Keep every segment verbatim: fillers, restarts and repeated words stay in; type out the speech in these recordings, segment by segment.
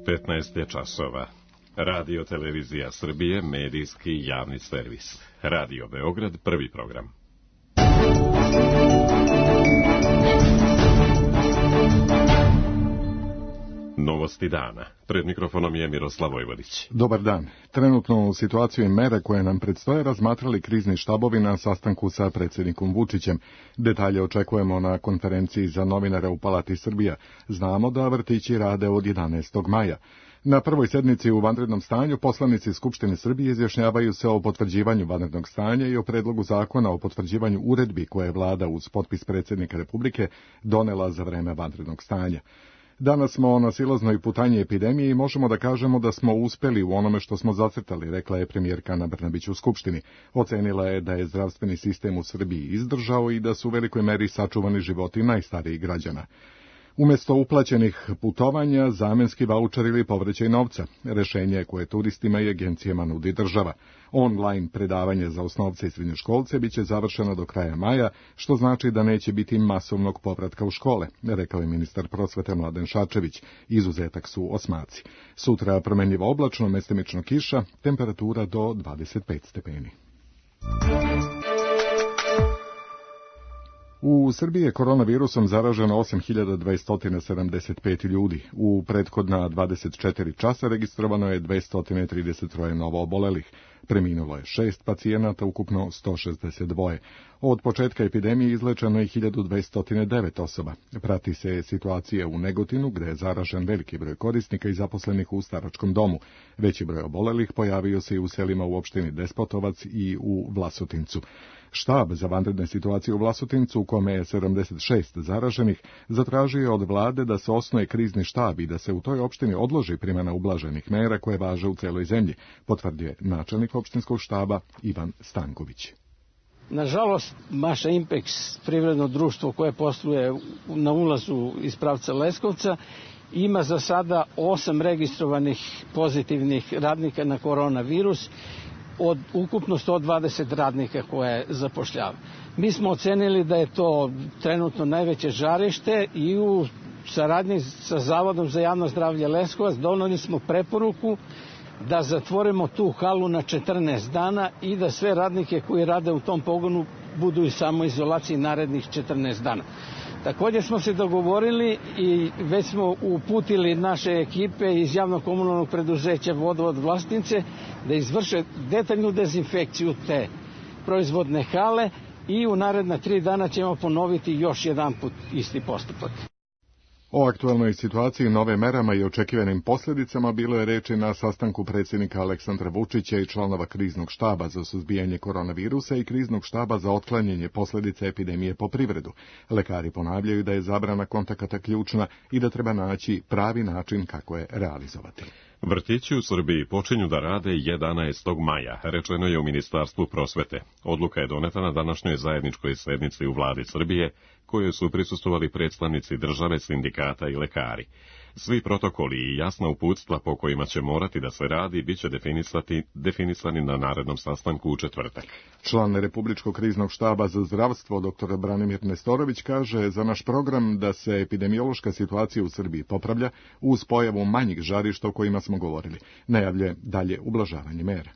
petnaest je časova. Radio Televizija Srbije, medijski javni servis. Radio Beograd, prvi program. Novosti dana. Pred mikrofonom je Miroslav Vojvodić. Dobar dan. Trenutno u situaciju i mere koje nam predstoje razmatrali krizni štabovi na sastanku sa predsjednikom Vučićem. Detalje očekujemo na konferenciji za novinare u Palati Srbija. Znamo da vrtići rade od jedanaestog maja. Na prvoj sednici u vanrednom stanju poslanici Skupštine Srbije izjašnjavaju se o potvrđivanju vanrednog stanja i o predlogu zakona o potvrđivanju uredbi koje je vlada uz potpis predsjednika Republike donela za vreme vanrednog stanja. Danas smo na silaznoj putanji epidemije i možemo da kažemo da smo uspeli u onome što smo zacrtali, rekla je premijerka Ana Brnabić u Skupštini. Ocenila je da je zdravstveni sistem u Srbiji izdržao i da su u velikoj meri sačuvani životi najstarijih građana. Umjesto uplaćenih putovanja, zamenski vaučer ili povraćaj novca, rešenje koje turistima i agencijama nudi država. Online predavanje za osnovce i srednjoškolce biće završeno do kraja maja, što znači da neće biti masovnog povratka u škole, rekao je ministar prosvete Mladen Šarčević. Izuzetak su osmaci. Sutra promenljivo oblačno, mestimično kiša, temperatura do dvadeset pet stepeni. U Srbiji je koronavirusom zaraženo osam hiljada dvesta sedamdeset pet ljudi. U prethodna dvadeset četiri časa registrovano je dvesta trideset tri novo obolelih. Preminulo je šest pacijenata, ukupno sto šezdeset dva. Od početka epidemije izlečeno je hiljadu dvesta devet osoba. Prati se situacija u Negotinu, gde je zaražen veliki broj korisnika i zaposlenih u staračkom domu. Veći broj obolelih pojavio se i u selima u opštini Despotovac i u Vlasotincu. Štab za vanredne situacije u Vlasotincu, u kome je sedamdeset šest zaraženih, zatražio je od vlade da se osnuje krizni štab i da se u toj opštini odloži primjena ublaženih mera koje važe u celoj zemlji, potvrdio je načelnik opštinskog štaba Ivan Stanković. Nažalost, Maša Impex, privredno društvo koje posluje na ulazu iz pravca Leskovca, ima za sada osam registrovanih pozitivnih radnika na koronavirus, od ukupno sto dvadeset radnika koje zapošljava. Mi smo ocenili da je to trenutno najveće žarište i u saradnji sa Zavodom za javno zdravlje Leskovac doneli smo preporuku da zatvorimo tu halu na četrnaest dana i da sve radnike koji rade u tom pogonu budu u samoizolaciji narednih četrnaest dana. Također smo se dogovorili i već smo uputili naše ekipe iz javnog komunalnog preduzeća Vodovod Vlasotince da izvrše detaljnu dezinfekciju te proizvodne hale i u naredna tri dana ćemo ponoviti još jedan put isti postupak. O aktualnoj situaciji, nove merama i očekivanim posljedicama bilo je reči na sastanku predsjednika Aleksandra Vučića i članova kriznog štaba za suzbijanje koronavirusa i kriznog štaba za otklanjanje posljedica epidemije po privredu. Lekari ponavljaju da je zabrana kontakata ključna i da treba naći pravi način kako je realizovati. Vrtići u Srbiji počinju da rade jedanaestog maja, rečeno je u Ministarstvu prosvete. Odluka je doneta na današnjoj zajedničkoj sednici u vladi Srbije, kojoj su prisustvovali predstavnici države, sindikata i lekari. Svi protokoli i jasna uputstva po kojima će morati da se radi biće definisani na narednom sastanku u četvrtak. Član Republičkog kriznog štaba za zdravstvo dr Branimir Nestorović kaže za naš program da se epidemiološka situacija u Srbiji popravlja uz pojavu manjih žarišta o kojima smo govorili. Najavljuje dalje ublažavanje mera.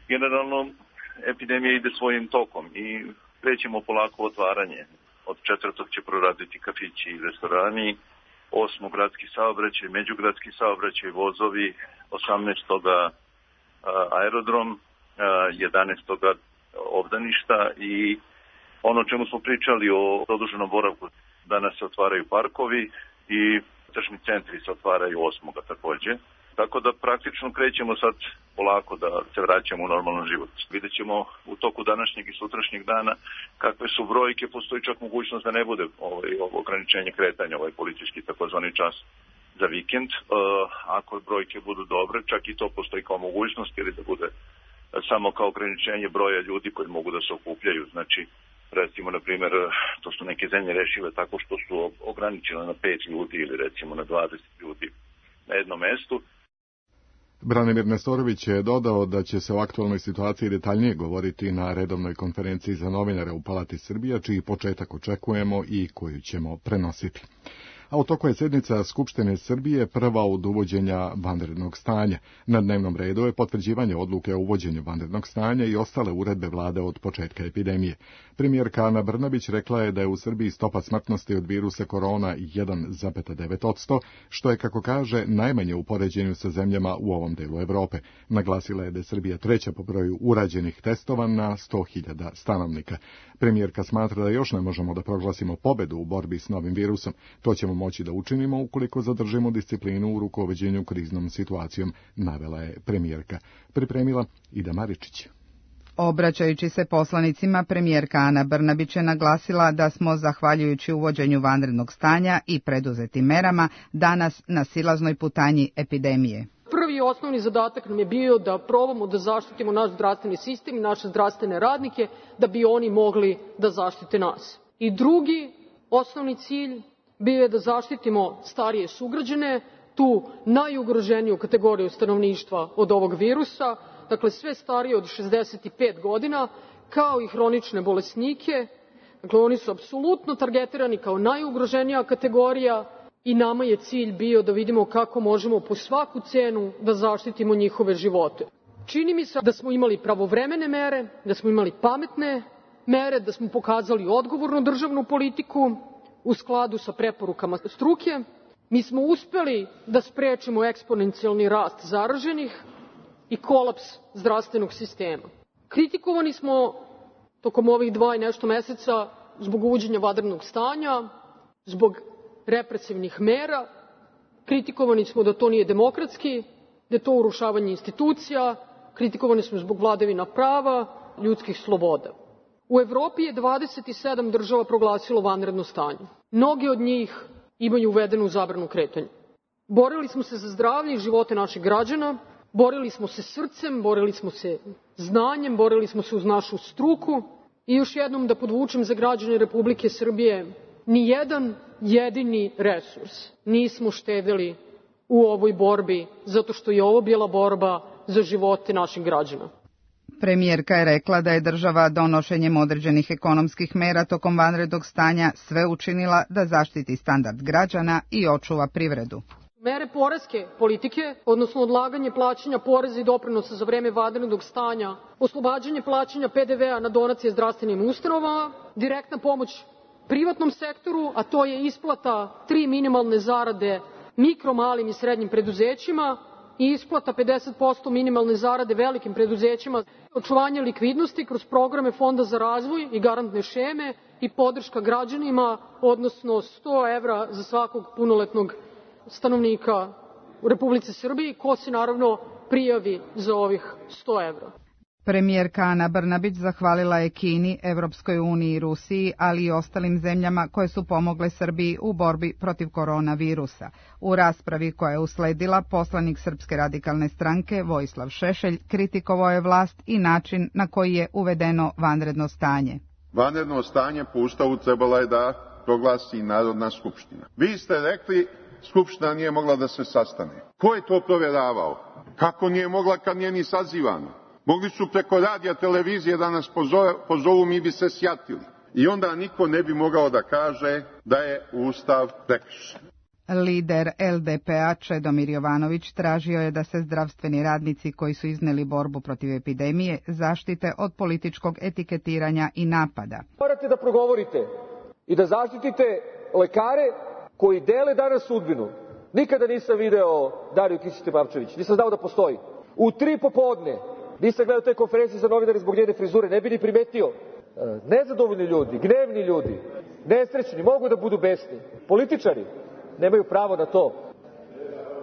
Generalno, epidemija ide svojim tokom i krećemo polako otvaranje. Od četvrtog će proraditi kafići i restorani, osmog gradski saobraćaj, međugradski saobraćaj, vozovi, osamnaestoga aerodrom, jedanaestoga obdaništa i ono o čemu smo pričali o produženom boravku, danas se otvaraju parkovi i tržni centri se otvaraju osmoga također. Tako da praktično krećemo sad polako da se vraćamo u normalan život. Vidjet ćemo u toku današnjeg i sutrašnjeg dana kakve su brojke, postoji čak mogućnost da ne bude ovaj, ovo ograničenje kretanja, ovaj policijski takozvani čas za vikend. E, ako brojke budu dobre, čak i to postoji kao mogućnost ili da bude samo kao ograničenje broja ljudi koji mogu da se okupljaju. Znači, recimo, na primjer, to su neke zemlje rešile tako što su ograničile na pet ljudi ili recimo na dvadeset ljudi na jednom mestu. Branimir Nestorović je dodao da će se o aktualnoj situaciji detaljnije govoriti na redovnoj konferenciji za novinare u Palati Srbija, čiji početak očekujemo i koju ćemo prenositi. a u toku je sjednica Skupštine Srbije prva od uvođenja vanrednog stanja. Na dnevnom redu je potvrđivanje odluke o uvođenju vanrednog stanja i ostale uredbe vlade od početka epidemije. Premijerka Ana Brnabić rekla je da je u Srbiji stopa smrtnosti od virusa korona jedan zarez devet posto, što je, kako kaže, najmanje u poređenju sa zemljama u ovom delu Evrope. Naglasila je da je Srbija treća po broju urađenih testova na sto hiljada stanovnika. Premijerka smatra da još ne možemo da proglasimo pobedu u borbi s novim virusom. To ćemo moći da učinimo ukoliko zadržimo disciplinu u rukovođenju kriznom situacijom, navela je premijerka. Pripremila Ida Maričić. Obraćajući se poslanicima, premijerka Ana Brnabić je naglasila da smo, zahvaljujući uvođenju vanrednog stanja i preduzetim merama, danas na silaznoj putanji epidemije. Prvi i osnovni zadatak nam je bio da probamo da zaštitimo naš zdravstveni sistem i naše zdravstvene radnike, da bi oni mogli da zaštite nas. I drugi osnovni cilj bio je da zaštitimo starije sugrađane, tu najugroženiju kategoriju stanovništva od ovog virusa, dakle sve starije od šezdeset pet godina, kao i hronične bolesnike. Dakle, oni su apsolutno targetirani kao najugroženija kategorija i nama je cilj bio da vidimo kako možemo po svaku cenu da zaštitimo njihove živote. Čini mi se da smo imali pravovremene mere, da smo imali pametne mere, da smo pokazali odgovornu državnu politiku u skladu sa preporukama struke. Mi smo uspeli da sprečimo eksponencijalni rast zaraženih i kolaps zdravstvenog sistema. Kritikovani smo tokom ovih dva i nešto meseca zbog uvođenja vanrednog stanja, zbog represivnih mera. Kritikovani smo da to nije demokratski, da je to urušavanje institucija, kritikovani smo zbog vladavina prava, ljudskih sloboda. U Evropi je dvadeset sedam država proglasilo vanredno stanje. Mnogi od njih imaju uvedenu zabranu kretanja. Borili smo se za zdravlje i živote naših građana, borili smo se srcem, borili smo se znanjem, borili smo se uz našu struku i još jednom da podvučem za građane Republike Srbije, ni jedan jedini resurs nismo štedeli u ovoj borbi, zato što je ovo bila borba za živote naših građana. Premijerka je rekla da je država donošenjem određenih ekonomskih mera tokom vanrednog stanja sve učinila da zaštiti standard građana i očuva privredu. Mere poreske politike, odnosno odlaganje plaćanja poreza i doprinosa za vreme vanrednog stanja, oslobađanje plaćanja P D V-a na donacije zdravstvenim ustanovama, direktna pomoć privatnom sektoru, a to je isplata tri minimalne zarade mikro, malim i srednjim preduzećima i isplata pedeset posto minimalne zarade velikim preduzećima, očuvanje likvidnosti kroz programe Fonda za razvoj i garantne šeme i podrška građanima, odnosno sto evra za svakog punoletnog stanovnika u Republici Srbiji, ko se naravno prijavi za ovih sto evra. Premijerka Ana Brnabić zahvalila je Kini, Evropskoj uniji i Rusiji, ali i ostalim zemljama koje su pomogle Srbiji u borbi protiv koronavirusa. U raspravi koja je usledila, poslanik Srpske radikalne stranke Vojislav Šešelj kritikovao je vlast i način na koji je uvedeno vanredno stanje. Vanredno stanje po Ustavu trebala je da proglasi Narodna skupština. Vi ste rekli Skupština nije mogla da se sastane. Ko je to provjeravao? Kako nije mogla kad nije ni sazivano? Mogli su preko radija, televizije da nas pozovu, mi bi se sjatili. I onda niko ne bi mogao da kaže da je Ustav prekršen. Lider L D P-a Čedomir Jovanović tražio je da se zdravstveni radnici koji su izneli borbu protiv epidemije zaštite od političkog etiketiranja i napada. Morate da progovorite i da zaštitite lekare koji dele danas sudbinu. Nikada nisam video Dariju Kisić-Tepavčević, nisam znao da postoji. U tri popodne nisam gledao te konferencije za novinare zbog njene frizure, ne bi ni primetio. Nezadovoljni ljudi, gnevni ljudi, nesrećni, mogu da budu besni. Političari nemaju pravo na to.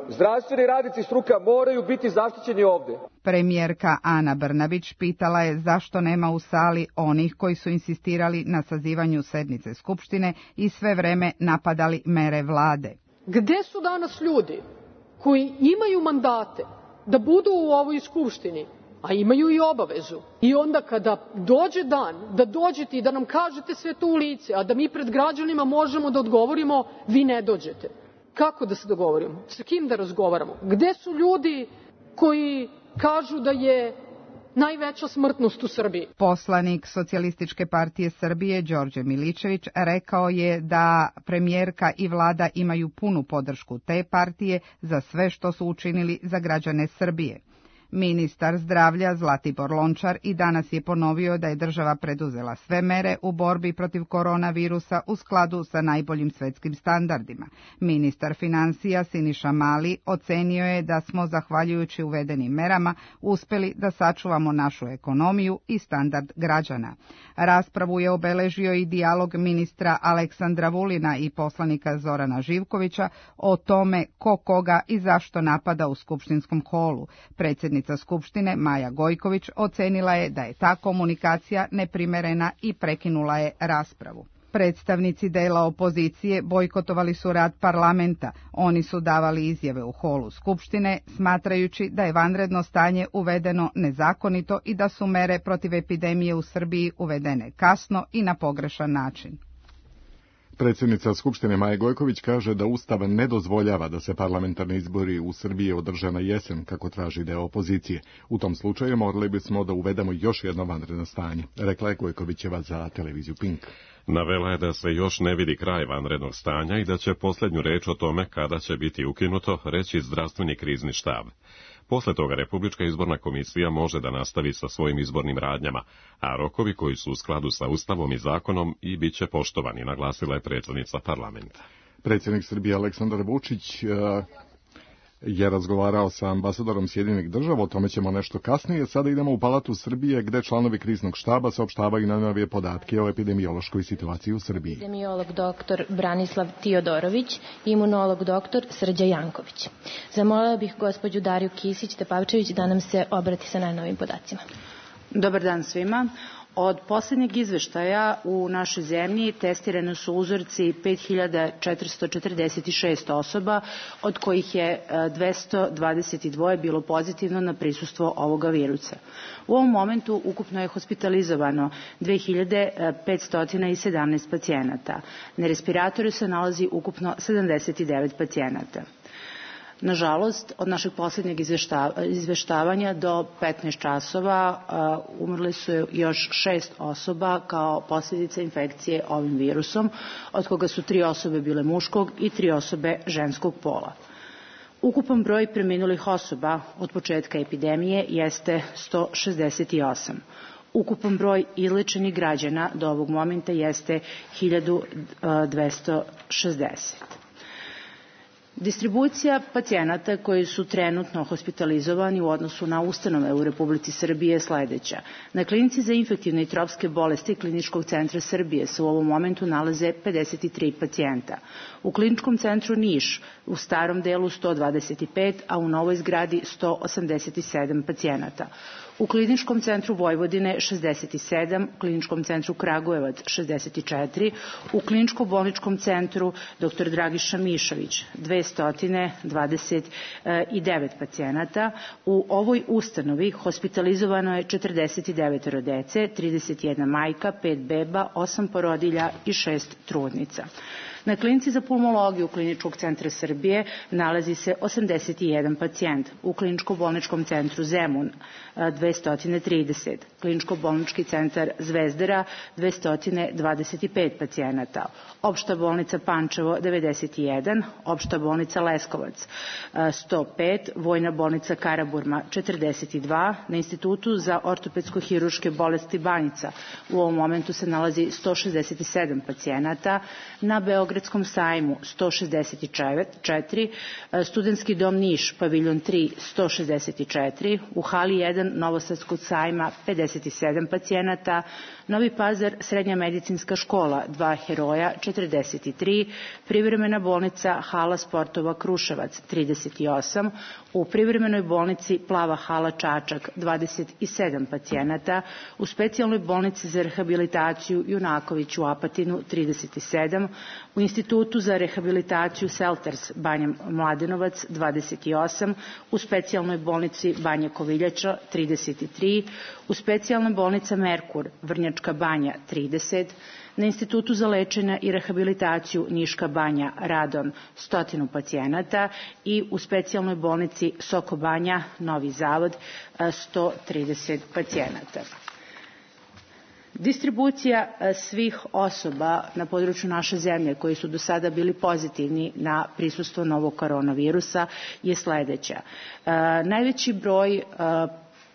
Zdravstveni radnici struka moraju biti zaštićeni ovde. Premijerka Ana Brnabić pitala je zašto nema u sali onih koji su insistirali na sazivanju sednice Skupštine i sve vreme napadali mere vlade. Gde su danas ljudi koji imaju mandate da budu u ovoj Skupštini, a imaju i obavezu? I onda kada dođe dan da dođete i da nam kažete sve to u lice, a da mi pred građanima možemo da odgovorimo, vi ne dođete. Kako da se dogovorimo? Sa kim da razgovaramo? Gde su ljudi koji kažu da je najveća smrtnost u Srbiji. Poslanik Socijalističke partije Srbije Đorđe Miličević rekao je da premijerka i vlada imaju punu podršku te partije za sve što su učinili za građane Srbije. Ministar zdravlja Zlatibor Lončar i danas je ponovio da je država preduzela sve mere u borbi protiv koronavirusa u skladu sa najboljim svetskim standardima. Ministar financija Siniša Mali ocenio je da smo, zahvaljujući uvedenim merama, uspeli da sačuvamo našu ekonomiju i standard građana. Raspravu je obeležio i dijalog ministra Aleksandra Vulina i poslanika Zorana Živkovića o tome ko koga i zašto napada u skupštinskom holu. Predsjednica Skupštine Maja Gojković ocenila je da je ta komunikacija neprimerena i prekinula je raspravu. Predstavnici dela opozicije bojkotovali su rad parlamenta. Oni su davali izjave u holu Skupštine, smatrajući da je vanredno stanje uvedeno nezakonito i da su mere protiv epidemije u Srbiji uvedene kasno i na pogrešan način. Predsjednica Skupštine Maja Gojković kaže da Ustav ne dozvoljava da se parlamentarni izbori u Srbiji održe na jesen, kako traži deo opozicije. U tom slučaju morali bismo da uvedemo još jedno vanredno stanje, rekla je Gojkovićeva za televiziju Pink. Navela je da se još ne vidi kraj vanrednog stanja i da će posljednju reč o tome kada će biti ukinuto reći zdravstveni krizni štab. Posle toga Republička izborna komisija može da nastavi sa svojim izbornim radnjama, a rokovi koji su u skladu sa Ustavom i zakonom i bit će poštovani, naglasila je predsjednica parlamenta. Predsjednik Srbije Aleksandar Vučić je razgovarao sa ambasadorom Sjedinjenih država, o tome ćemo nešto kasnije. Sada idemo u Palatu Srbije, gde članovi kriznog štaba saopštavaju najnovije podatke o epidemiološkoj situaciji u Srbiji. Epidemiolog doktor Branislav Tiodorović, imunolog doktor Srđa Janković. Zamolila bih gospođu Dariju Kisić-Tepavčević da nam se obrati sa najnovim podacima. Dobar dan svima. Od posljednjeg izveštaja u našoj zemlji testirane su uzorci pet hiljada četiristo četrdeset šest osoba, od kojih je dvesta dvadeset dva bilo pozitivno na prisustvo ovoga virusa. U ovom momentu ukupno je hospitalizovano dve hiljade petsto sedamnaest pacijenata. Na respiratoru se nalazi ukupno sedamdeset devet pacijenata. Nažalost, od našeg posljednjeg izveštavanja do petnaest časova umrli su još šest osoba kao posljedica infekcije ovim virusom, od koga su tri osobe bile muškog i tri osobe ženskog pola. Ukupan broj preminulih osoba od početka epidemije jeste sto šezdeset osam. Ukupan broj izlečenih građana do ovog momenta jeste hiljadu dvesta šezdeset. Distribucija pacijenata koji su trenutno hospitalizovani u odnosu na ustanove u Republici Srbije je sledeća. Na klinici za infektivne i tropske bolesti Kliničkog centra Srbije se u ovom momentu nalaze pedeset tri pacijenta. U Kliničkom centru Niš u starom delu sto dvadeset pet, a u novoj zgradi sto osamdeset sedam pacijenata. U Kliničkom centru Vojvodine šezdeset sedam, u Kliničkom centru Kragujevac šezdeset četiri, u Kliničko-bolničkom centru doktor Dragiša Mišović dvesta dvadeset devet pacijenata. U ovoj ustanovi hospitalizovano je četrdeset devet dece, trideset jedna majka, pet beba, osam porodilja i šest trudnica. Na klinici za pulmologiju Kliničkog centra Srbije nalazi se osamdeset jedan pacijent, u Kliničko-bolničkom centru Zemun dvesta trideset, Kliničko-bolnički centar Zvezdara dvesta dvadeset pet pacijenata, Opšta bolnica Pančevo devedeset jedan, Opšta bolnica Leskovac sto pet, Vojna bolnica Karaburma četrdeset dva, na Institutu za ortopedsko-hiruške bolesti Banjica u ovom momentu se nalazi sto šezdeset sedam pacijenata, na Beogradskom sajmu sto šezdeset četiri, Studentski dom Niš, paviljon tri sto šezdeset četiri, u hali jedan Novosadskog sajma pedeset sedam pacijenata, Novi Pazar Srednja medicinska škola dva heroja četrdeset tri, privremena bolnica Hala sportova Kruševac trideset osam, u privremenoj bolnici Plava hala Čačak dvadeset sedam pacijenata, u specijalnoj bolnici za rehabilitaciju Junaković u Apatinu trideset sedam, u Institutu za rehabilitaciju Selters Banja Mladenovac dvadeset osam, u specijalnoj bolnici Banja Koviljača trideset tri, u specijalnoj bolnica Merkur Vrnjačka Banja trideset, Na Institutu za lečenje i rehabilitaciju Niška banja radon stotinu pacijenata i u specijalnoj bolnici Soko Banja Novi Zavod sto trideset pacijenata. Distribucija svih osoba na području naše zemlje koji su do sada bili pozitivni na prisustvo novog koronavirusa je sledeća. Najveći broj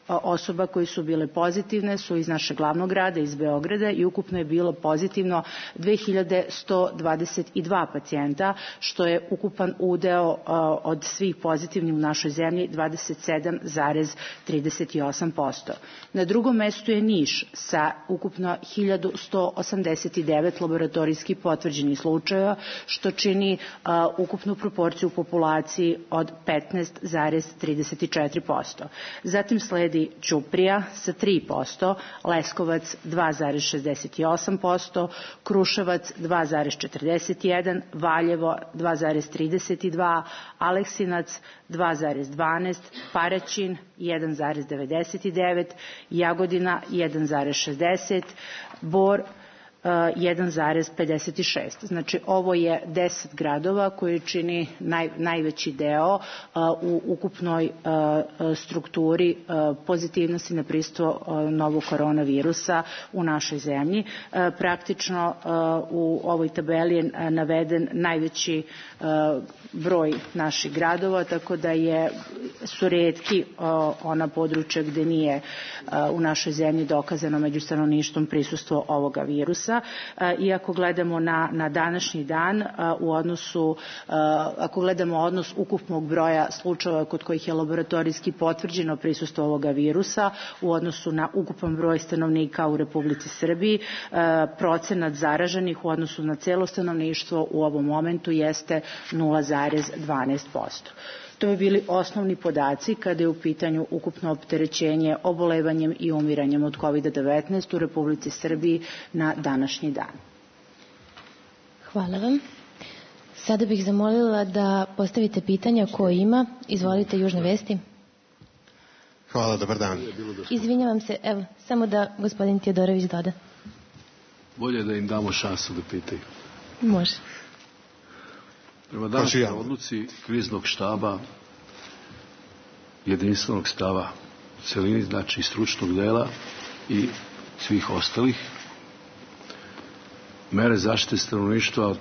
osoba koji su bile pozitivne su iz našeg glavnog grada, iz Beograda, i ukupno je bilo pozitivno dve hiljade sto dvadeset dva pacijenta, što je ukupan udeo od svih pozitivnih u našoj zemlji dvadeset sedam zarez trideset osam posto. Na drugom mestu je Niš sa ukupno hiljadu sto osamdeset devet laboratorijski potvrđenih slučajeva, što čini uh, ukupnu proporciju populaciji od petnaest zarez trideset četiri posto. Zatim sledi Ćuprija sa tri posto, Leskovac dva zarez šezdeset osam posto, Kruševac dva zarez četrdeset jedan, Valjevo dva zarez trideset dva, Aleksinac dva zarez dvanaest, Paraćin jedan zarez devedeset devet, Jagodina jedan zarez šezdeset, Bor jedan zarez pedeset šest. Znači, ovo je deset gradova koji čini naj, najveći deo uh, u ukupnoj uh, strukturi uh, pozitivnosti na prisustvo uh, novog koronavirusa u našoj zemlji. Uh, praktično uh, u ovoj tabeli je naveden najveći uh, broj naših gradova, tako da je, su retki uh, ona područja gde nije uh, u našoj zemlji dokazano među stanovništvom prisustvo ovoga virusa. Iako gledamo na, na današnji dan u odnosu, ako gledamo odnos ukupnog broja slučajeva kod kojih je laboratorijski potvrđeno prisustvo ovoga virusa u odnosu na ukupan broj stanovnika u Republici Srbiji, procenat zaraženih u odnosu na celo stanovništvo u ovom momentu jeste nula zarez dvanaest posto. To bi bili osnovni podaci kada je u pitanju ukupno opterećenje obolevanjem i umiranjem od kovid devetnaest u Republici Srbiji na današnji dan. Hvala vam. Sada bih zamolila da postavite pitanja ko ima. Izvolite, Južne vesti. Hvala, dobar dan. Izvinjavam se, evo, samo da gospodin Tijodorović doda. Bolje da im damo šansu da pitaju. Može. Prema današnjoj odluci kriznog štaba, jedinstvenog stava u celini, znači stručnog dela i svih ostalih, mere zaštite stanovništva od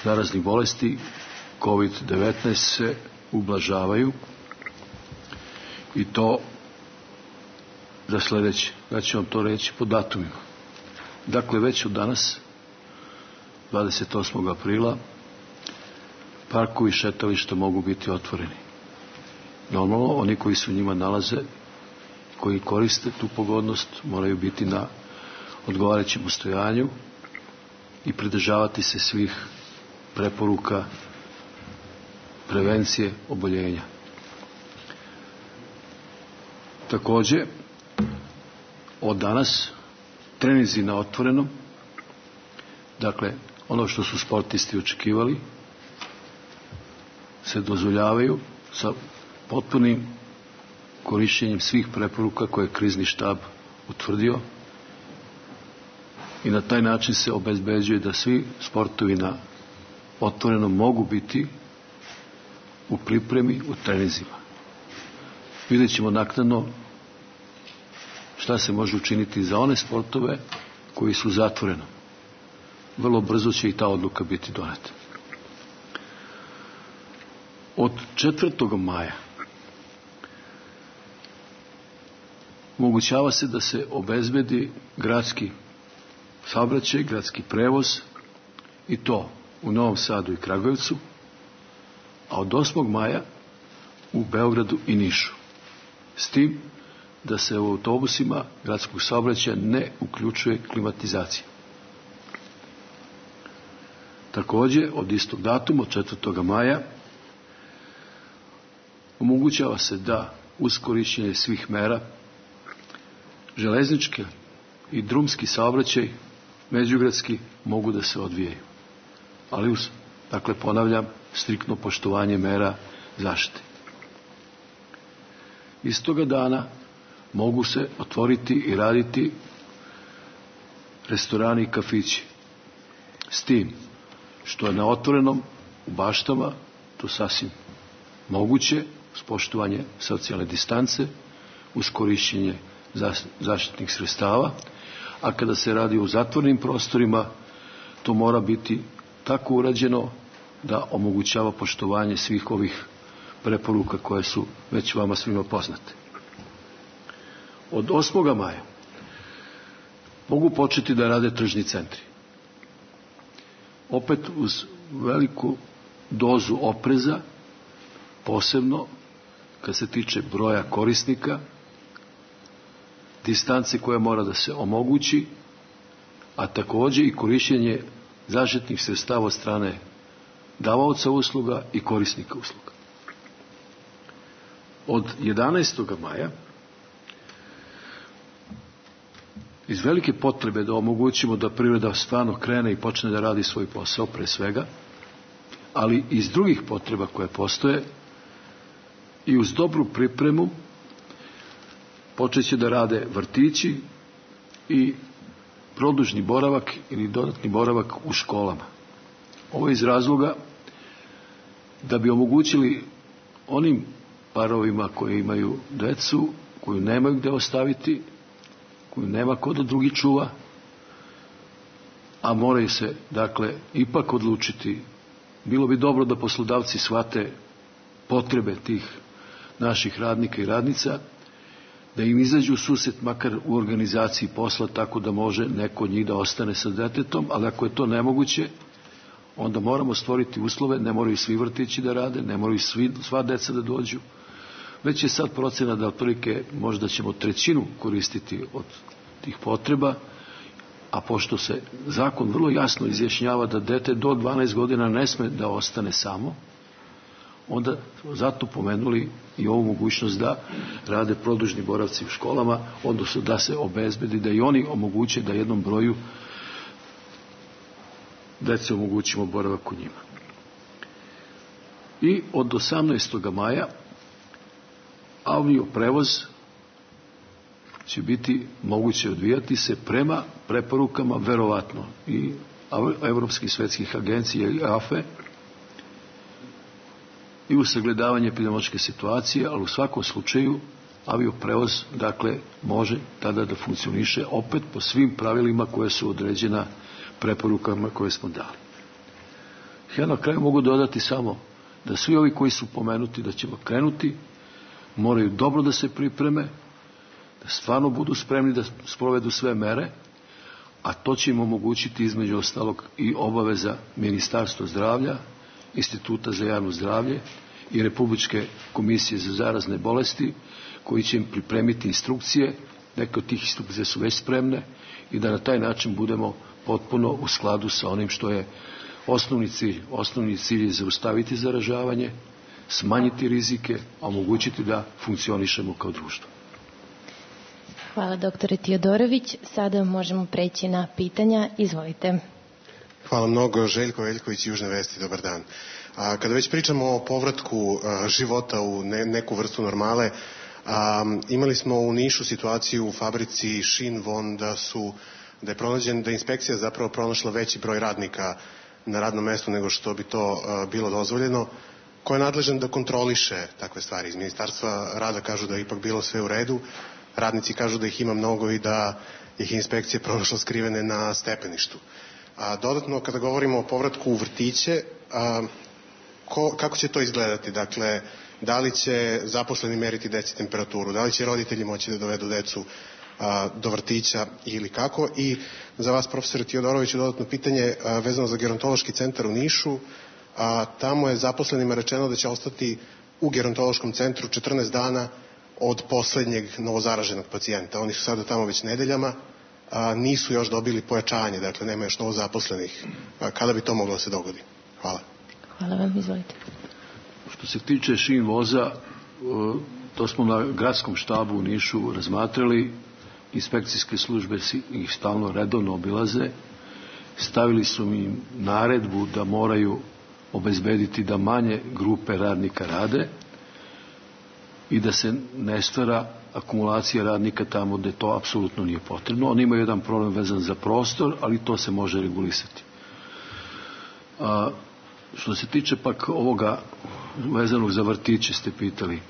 zaraznih bolesti kovid devetnaest se ublažavaju, i to za sledeće. Ja ću vam to reći po datumima. Dakle, već od danas, dvadeset osmog aprila, parkovi i šetališta mogu biti otvoreni. Normalno, oni koji se u njima nalaze, koji koriste tu pogodnost, moraju biti na odgovarajućem ustojanju i pridržavati se svih preporuka prevencije oboljenja. Takođe, od danas treninzi na otvorenom, dakle, ono što su sportisti očekivali, se dozvoljavaju sa potpunim korišćenjem svih preporuka koje je krizni štab utvrdio, i na taj način se obezbeđuje da svi sportovi na otvorenom mogu biti u pripremi, u treninzima. Vidjet ćemo naknadno šta se može učiniti za one sportove koji su zatvoreno. Vrlo brzo će i ta odluka biti doneta. Od četvrtog maja omogućava se da se obezbedi gradski saobraćaj, gradski prevoz, i to u Novom Sadu i Kragujevcu, a od osmog maja u Beogradu i Nišu. S tim da se u autobusima gradskog saobraćaja ne uključuje klimatizacija. Takođe, od istog datuma, od četvrtog maja, omogućava se da uz korišćenje svih mera železnički i drumski saobraćaj međugradski mogu da se odvijaju. Ali uz, dakle, ponavljam, striktno poštovanje mera zaštite. Istoga dana mogu se otvoriti i raditi restorani i kafići. S tim što je na otvorenom, u baštama, to sasvim moguće, uz poštovanje socijalne distance, uz korišćenje zaštitnih sredstava, a kada se radi o zatvorenim prostorima, to mora biti tako urađeno da omogućava poštovanje svih ovih preporuka koje su već vama svima poznate. Od osmog maja mogu početi da rade tržni centri. Opet uz veliku dozu opreza, posebno kad se tiče broja korisnika, distance koja mora da se omogući, a takođe i korišćenje zaštitnih sredstava od strane davaoca usluga i korisnika usluga. Od jedanaestog maja iz velike potrebe da omogućimo da privreda stvarno krene i počne da radi svoj posao pre svega, ali iz drugih potreba koje postoje i uz dobru pripremu počeće da rade vrtići i produžni boravak ili dodatni boravak u školama. Ovo je iz razloga da bi omogućili onim parovima koji imaju decu, koju nemaju gde ostaviti, koju nema ko da drugi čuva, a moraju se, dakle, ipak odlučiti. Bilo bi dobro da poslodavci shvate potrebe tih naših radnika i radnica, da im izađu u susret makar u organizaciji posla tako da može neko od njih da ostane sa detetom, ali ako je to nemoguće, onda moramo stvoriti uslove, ne moraju svi vrtići da rade, ne moraju svi, sva deca da dođu. Već je sad procena da otprilike možda ćemo trećinu koristiti od tih potreba, a pošto se zakon vrlo jasno izjašnjava da dete do dvanaest godina ne sme da ostane samo, onda zato pomenuli i ovu mogućnost da rade produžni boravci u školama, odnosno da se obezbedi, da i oni omoguće da jednom broju dece omogućimo boravak u njima. I od osamnaestog maja avio prevoz će biti moguće odvijati se prema preporukama, verovatno, i evropskih svetskih agencija i A F E i u sagledavanje epidemiološke situacije, ali u svakom slučaju avioprevoz, dakle, može tada da funkcioniše opet po svim pravilima koje su određena preporukama koje smo dali. Ja na kraju mogu dodati samo da svi ovi koji su pomenuti da ćemo krenuti, moraju dobro da se pripreme, da stvarno budu spremni da sprovedu sve mere, a to će im omogućiti između ostalog i obaveza Ministarstva zdravlja, Instituta za javno zdravlje i Republičke komisije za zarazne bolesti, koji će im pripremiti instrukcije, neke od tih instrukcije su već spremne, i da na taj način budemo potpuno u skladu sa onim što je osnovni cilj. Osnovni cilj je zaustaviti zaražavanje, smanjiti rizike, a omogućiti da funkcionišemo kao društvo. Hvala, doktore Tiodorović. Sada možemo preći na pitanja. Izvolite. Hvala mnogo. Željko Veljković, Južne vesti, dobar dan. A, kada već pričamo o povratku a, života u ne, neku vrstu normale, a, imali smo u Nišu situaciju u fabrici Shinvon da su da je pronađen, da je inspekcija zapravo pronašla veći broj radnika na radnom mestu nego što bi to a, bilo dozvoljeno. Ko je nadležan da kontroliše takve stvari? Iz Ministarstva rada kažu da je ipak bilo sve u redu, radnici kažu da ih ima mnogo i da ih inspekcija pronašla skrivene na stepeništu. A dodatno, kada govorimo o povratku u vrtiće, a, ko, kako će to izgledati? Dakle, da li će zaposleni meriti deci temperaturu, da li će roditelji moći da dovedu decu a, do vrtića ili kako? I za vas, profesor Tiodorović, dodatno pitanje a, vezano za gerontološki centar u Nišu. A, tamo je zaposlenima rečeno da će ostati u gerontološkom centru četrnaest dana od poslednjeg novozaraženog pacijenta. Oni su sada tamo već nedeljama, a, nisu još dobili pojačanje, dakle nema još novozaposlenih. A, kada bi to moglo da se dogodi? Hvala. Hvala vam, izvolite. Što se tiče šin voza, to smo na gradskom štabu u Nišu razmatrali, inspekcijske službe ih stalno redovno obilaze, stavili su im naredbu da moraju obezbediti da manje grupe radnika rade, i da se ne stvara akumulacija radnika tamo gde to apsolutno nije potrebno. Oni imaju jedan problem vezan za prostor, ali to se može regulisati. A, što se tiče pak ovoga vezanog za vrtiće ste pitali,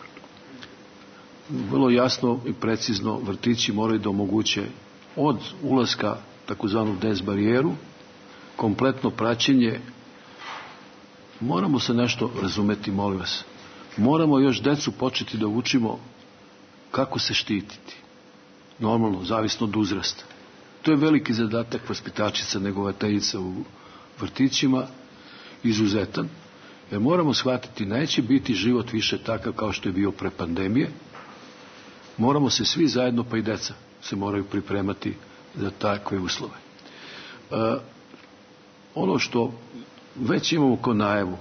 vrlo jasno i precizno vrtići moraju da omoguće od ulaska takozvanu des barijeru, kompletno praćenje. Moramo se nešto razumeti, molim vas. Moramo još decu početi da učimo kako se štititi. Normalno, zavisno od uzrasta. To je veliki zadatak vaspitačica, negovateljica u vrtićima, izuzetan, jer moramo shvatiti, neće biti život više takav kao što je bio pre pandemije. Moramo se svi zajedno, pa i deca, se moraju pripremati za takve uslove. E, ono što već imamo ko najavu,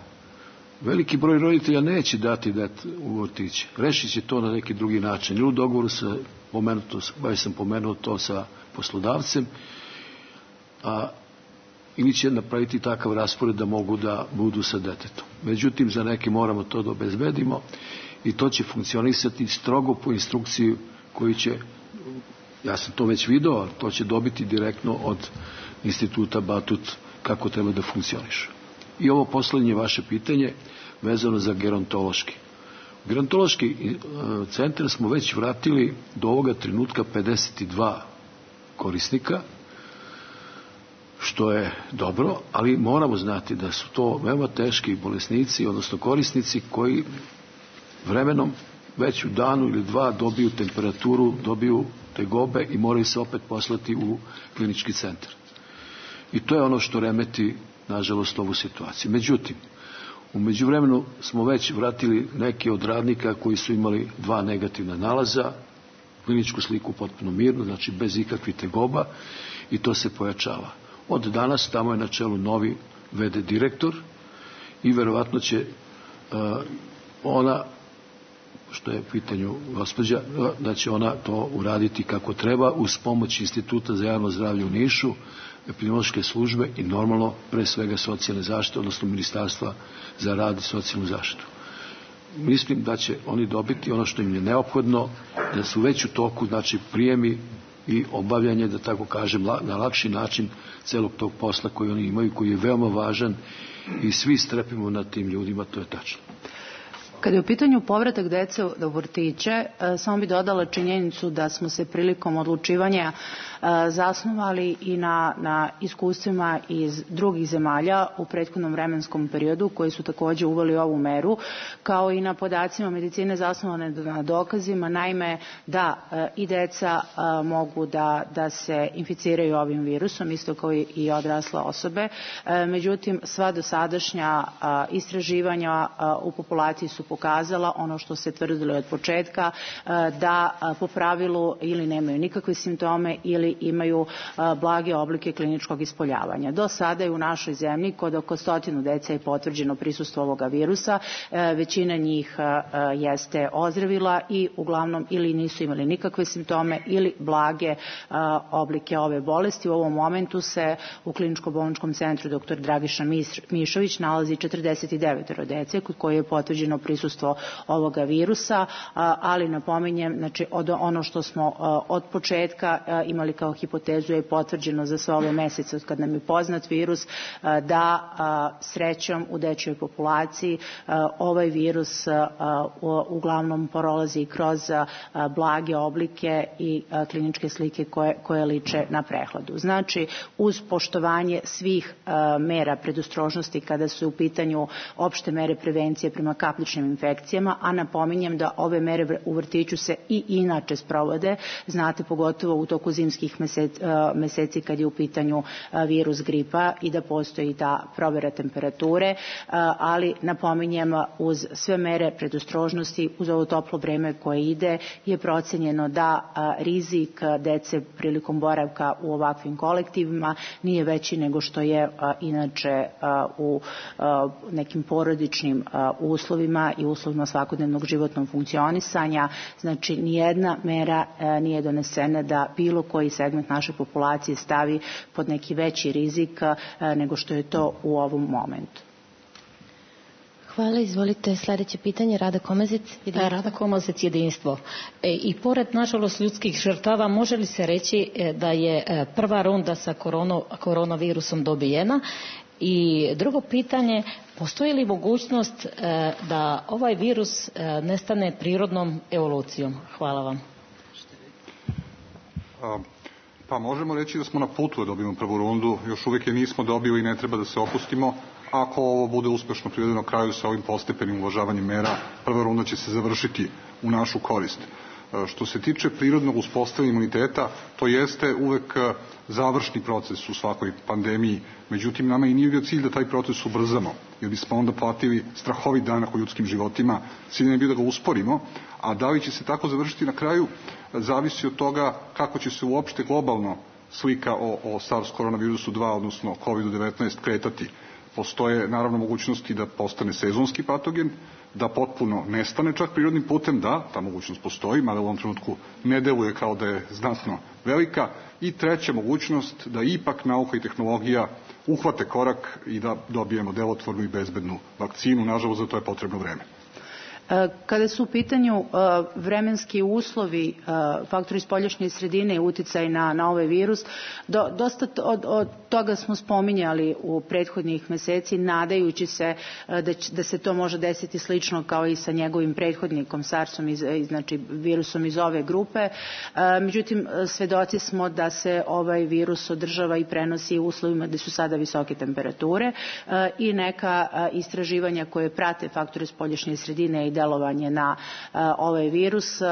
veliki broj roditelja neće dati dete u vrtiće. Rešit će to na neki drugi način. Ili u dogovoru sa, pomenuto, baš sam pomenuo to sa poslodavcem, a ili će napraviti takav raspored da mogu da budu sa detetom. Međutim, za neke moramo to da obezbedimo i to će funkcionisati strogo po instrukciji koju će, ja sam to već video, ali to će dobiti direktno od instituta Batut kako treba da funkcioniše. I ovo poslednje vaše pitanje vezano za gerontološki. U gerontološki centar smo već vratili do ovoga trenutka pedeset dva korisnika, što je dobro, ali moramo znati da su to veoma teški bolesnici, odnosno korisnici koji vremenom već u danu ili dva dobiju temperaturu, dobiju tegobe i moraju se opet poslati u klinički centar. I to je ono što remeti, nažalost, ovu situaciju. Međutim, u međuvremenu smo već vratili neke od radnika koji su imali dva negativna nalaza, kliničku sliku potpuno mirno, znači bez ikakvih tegoba, i to se pojačava. Od danas tamo je na čelu novi ve de direktor i verovatno će uh, ona, što je u pitanju gospođa, da će ona to uraditi kako treba uz pomoć Instituta za javno zdravlje u Nišu, epidemiološke službe i normalno pre svega socijalne zaštite, odnosno Ministarstva za rad i socijalnu zaštitu. Mislim da će oni dobiti ono što im je neophodno, da su već u toku, znači prijemi i obavljanje, da tako kažem, na lakši način celog tog posla koji oni imaju, koji je veoma važan i svi strepimo nad tim ljudima, to je tačno. Kada je u pitanju povratak dece u vrtiće, samo bi dodala činjenicu da smo se prilikom odlučivanja zasnovali i na, na iskustvima iz drugih zemalja u prethodnom vremenskom periodu koji su takođe uveli ovu meru, kao i na podacima medicine zasnovane na dokazima, naime da i deca mogu da, da se inficiraju ovim virusom, isto kao i odrasle osobe. Međutim, sva dosadašnja istraživanja u populaciji su pokazala ono što se tvrdilo od početka, da po pravilu ili nemaju nikakve simptome ili imaju blage oblike kliničkog ispoljavanja. Do sada je u našoj zemlji kod oko stotinu dece je potvrđeno prisustvo ovoga virusa, većina njih jeste ozdravila i uglavnom ili nisu imali nikakve simptome ili blage oblike ove bolesti. U ovom momentu se u kliničko-bolničkom centru doktor Dragiša Mišović nalazi četrdeset devet dece kod koje je potvrđeno prisustvo ovoga virusa, ali napominjem, znači od ono što smo od početka imali kao hipotezu je potvrđeno za sve ove mesece od kad nam je poznat virus, da srećom u dečjoj populaciji ovaj virus uglavnom prolazi kroz blage oblike i kliničke slike koje, koje liče na prehladu. Znači, uz poštovanje svih mera predostrožnosti kada su u pitanju opšte mere prevencije prema kapličnim infekcijama, a napominjem da ove mere u vrtiću se i inače sprovode, znate, pogotovo u toku zimskih meseci, meseci kad je u pitanju virus gripa i da postoji ta provera temperature, ali napominjem uz sve mere predostrožnosti, uz ovo toplo vreme koje ide, je procenjeno da rizik dece prilikom boravka u ovakvim kolektivima nije veći nego što je inače u nekim porodičnim uslovima i uslovima svakodnevnog životnog funkcionisanja. Znači, nijedna mera nije donesena da bilo koji segment naše populacije stavi pod neki veći rizik nego što je to u ovom momentu. Hvala, izvolite sledeće pitanje, Rada Komazec. Da, Rada Komazec, Jedinstvo. E, I pored, nažalost, ljudskih žrtava, može li se reći e, da je e, prva runda sa korono, koronavirusom dobijena? I drugo pitanje, postoji li mogućnost e, da ovaj virus e, nestane prirodnom evolucijom? Hvala vam. A, pa možemo reći da smo na putu da dobijemo prvu rundu, još uvijek je nismo dobili i ne treba da se opustimo. Ako ovo bude uspešno privedeno kraju sa ovim postepenim uvažavanjem mera, prva runda će se završiti u našu korist. Što se tiče prirodnog uspostavljanja imuniteta, to jeste uvek završni proces u svakoj pandemiji. Međutim, nama i nije bio cilj da taj proces ubrzamo, jer bismo onda platili strahovit danak u ljudskim životima. Cilj je bio da ga usporimo, a da li će se tako završiti na kraju, zavisi od toga kako će se uopšte globalno slika o, o SARS koronavirusu dva, odnosno kovid devetnaest, kretati. Postoje naravno mogućnosti da postane sezonski patogen, da potpuno nestane čak prirodnim putem, da, ta mogućnost postoji, mada u ovom trenutku ne deluje kao da je znatno velika. I treća mogućnost da ipak nauka i tehnologija uhvate korak i da dobijemo delotvornu i bezbednu vakcinu. Nažalost, za to je potrebno vreme. Kada su u pitanju vremenski uslovi, faktori spoljašnje sredine i uticaj na, na ovaj virus, do, dosta od, od toga smo spominjali u prethodnih meseci, nadajući se da, će, da se to može desiti slično kao i sa njegovim prethodnikom, SARS-om, iz, znači virusom iz ove grupe. Međutim, svedoci smo da se ovaj virus održava i prenosi u uslovima gde su sada visoke temperature i neka istraživanja koje prate faktore spoljašnje sredine i delovanje na uh, ovaj virus uh,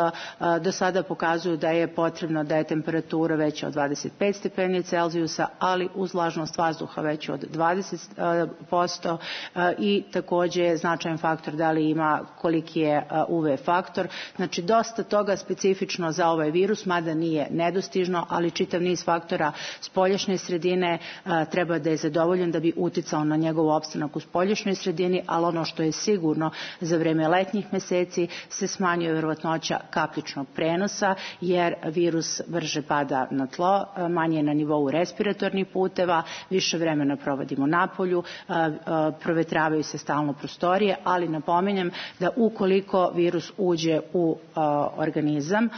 do sada pokazuju da je potrebno da je temperatura veća od dvadeset pet stepeni Celzijusa, ali uz vlažnost vazduha veća od dvadeset posto uh, i takođe je značajan faktor da li ima koliki je uh, U V faktor. Znači dosta toga specifično za ovaj virus, mada nije nedostižno, ali čitav niz faktora spoljašnje sredine uh, treba da je zadovoljen da bi uticao na njegov opstanak u spoljašnjoj sredini, ali ono što je sigurno za vreme letnjih meseci se smanjuje verovatnoća kapljičnog prenosa, jer virus brže pada na tlo, manje je na nivou respiratornih puteva, više vremena provodimo napolju, provetravaju se stalno prostorije, ali napominjem da ukoliko virus uđe u organizam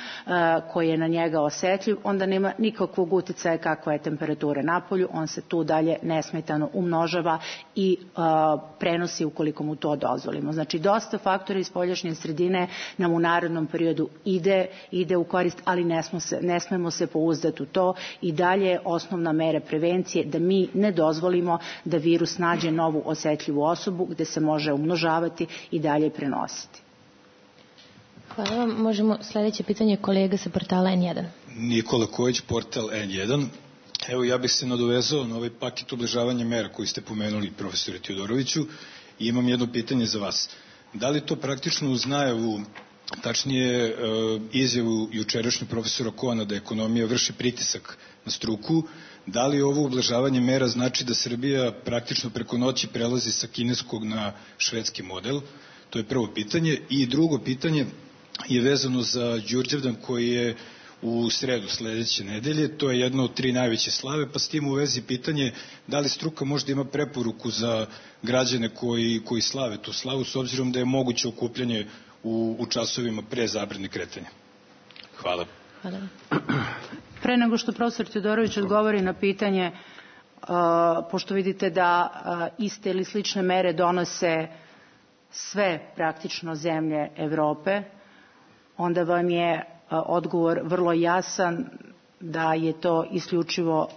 koji je na njega osetljiv, onda nema nikakvog uticaja kakva je temperatura napolju, on se tu dalje nesmetano umnožava i prenosi ukoliko mu to dozvolimo. Znači dosta faktora iz spoljašnje sredine nam u narednom periodu ide, ide u korist, ali ne, smo se, ne smemo se pouzdati u to i dalje je osnovna mera prevencije da mi ne dozvolimo da virus nađe novu osetljivu osobu gde se može umnožavati i dalje prenositi. Hvala vam. Možemo sledeće pitanje kolega sa portala N jedan. Nikola Kojić, portal N jedan. Evo ja bih se nadovezao na ovaj paket ublažavanja mera koji ste pomenuli, profesore Tiodoroviću, i imam jedno pitanje za vas. Da li to praktično uz najavu, tačnije izjavu jučerašnju profesora Koana da ekonomija vrši pritisak na struku, da li ovo ublažavanje mera znači da Srbija praktično preko noći prelazi sa kineskog na švedski model? To je prvo pitanje. I drugo pitanje je vezano za Đurđevdan koji je u sredu sledeće nedelje. To je jedna od tri najveće slave, pa s tim u vezi pitanje da li struka možda ima preporuku za građane koji, koji slave tu slavu, s obzirom da je moguće okupljanje u, u časovima pre zabrane kretanja. Hvala. Hvala. Pre nego što profesor Teodorović odgovori na pitanje, uh, pošto vidite da uh, iste ili slične mere donose sve praktično zemlje Evrope, onda vam je odgovor vrlo jasan da je to isključivo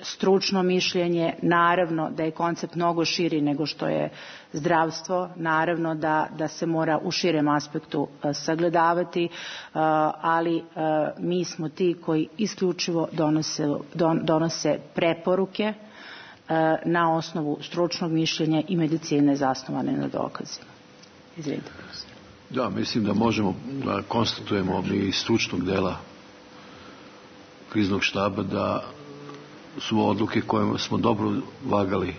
stručno mišljenje. Naravno da je koncept mnogo širi nego što je zdravstvo, naravno da, da se mora u širem aspektu sagledavati, ali mi smo ti koji isključivo donose, don, donose preporuke na osnovu stručnog mišljenja i medicine zasnovane na dokazima. Izvinite. Da, mislim da možemo da konstatujemo mi iz stručnog dela kriznog štaba da su odluke koje smo dobro vagali.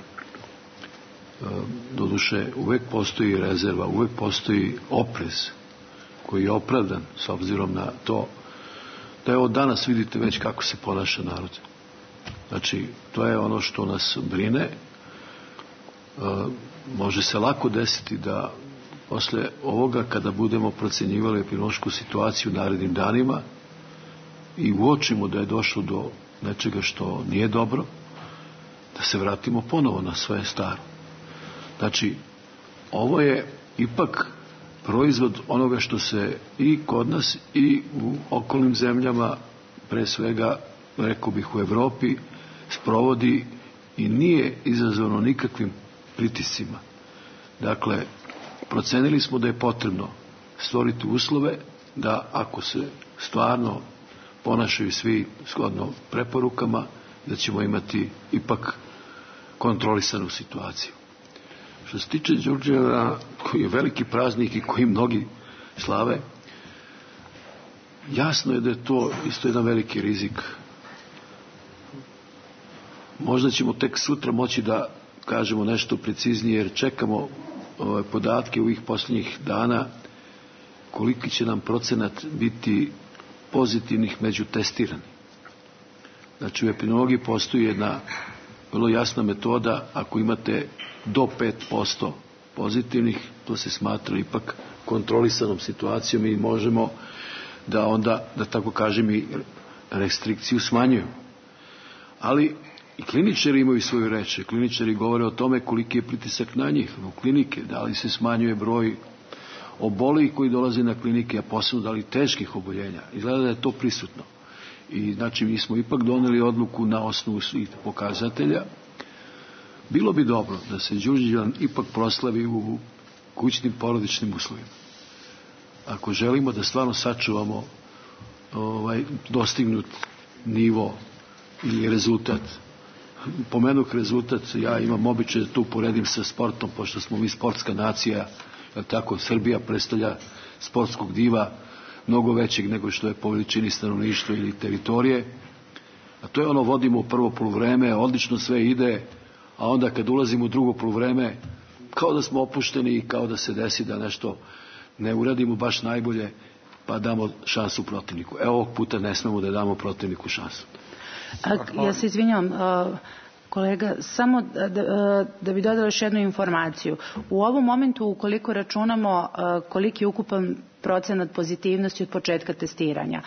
Doduše, uvek postoji rezerva, uvek postoji oprez koji je opravdan s obzirom na to da je od danas vidite već kako se ponaša narod. Znači, to je ono što nas brine može se lako desiti da posle ovoga, kada budemo procenjivali epidemiološku situaciju u narednim danima i uočimo da je došlo do nečega što nije dobro, da se vratimo ponovo na svoje staro. Znači, ovo je ipak proizvod onoga što se i kod nas i u okolnim zemljama, pre svega, rekao bih, u Evropi, sprovodi i nije izazvano nikakvim pritiscima. Dakle, procenili smo da je potrebno stvoriti uslove da ako se stvarno ponašaju svi shodno preporukama, da ćemo imati ipak kontrolisanu situaciju. Što se tiče Đurđevdana, koji je veliki praznik i koji mnogi slave, jasno je da je to isto jedan veliki rizik. Možda ćemo tek sutra moći da kažemo nešto preciznije, jer čekamo ove podatke ovih posljednjih dana koliki će nam procenat biti pozitivnih među testirani. Znači, u epidemiologiji postoji jedna vrlo jasna metoda. Ako imate do pet posto pozitivnih, to se smatra ipak kontrolisanom situacijom i možemo da onda, da tako kažem, i restrikciju smanjuju. Ali i kliničari imaju svoju reč. Kliničari govore o tome koliki je pritisak na njih, u klinike, da li se smanjuje broj obolih koji dolaze na klinike, a posebno da li teških oboljenja. Izgleda da je to prisutno. I znači mi smo ipak doneli odluku na osnovu svih pokazatelja. Bilo bi dobro da se Đurđevdan ipak proslavi u kućnim porodičnim uslovima. Ako želimo da stvarno sačuvamo ovaj, dostignut nivo ili rezultat. Pomenuh rezultat, ja imam običaj da tu poredim sa sportom, pošto smo mi sportska nacija, jer tako Srbija predstavlja sportskog diva mnogo većeg nego što je po veličini stanovništva ili teritorije. A to je ono, vodimo u prvo poluvreme, odlično sve ide, a onda kad ulazimo u drugo poluvreme, kao da smo opušteni i kao da se desi da nešto ne uradimo baš najbolje, pa damo šansu protivniku. Evo, ovog puta ne smemo da damo protivniku šansu. A, ja se izvinjavam, kolega, samo da, da, da bi dodala još jednu informaciju. U ovom momentu, ukoliko računamo koliki je ukupan procenat pozitivnosti od početka testiranja,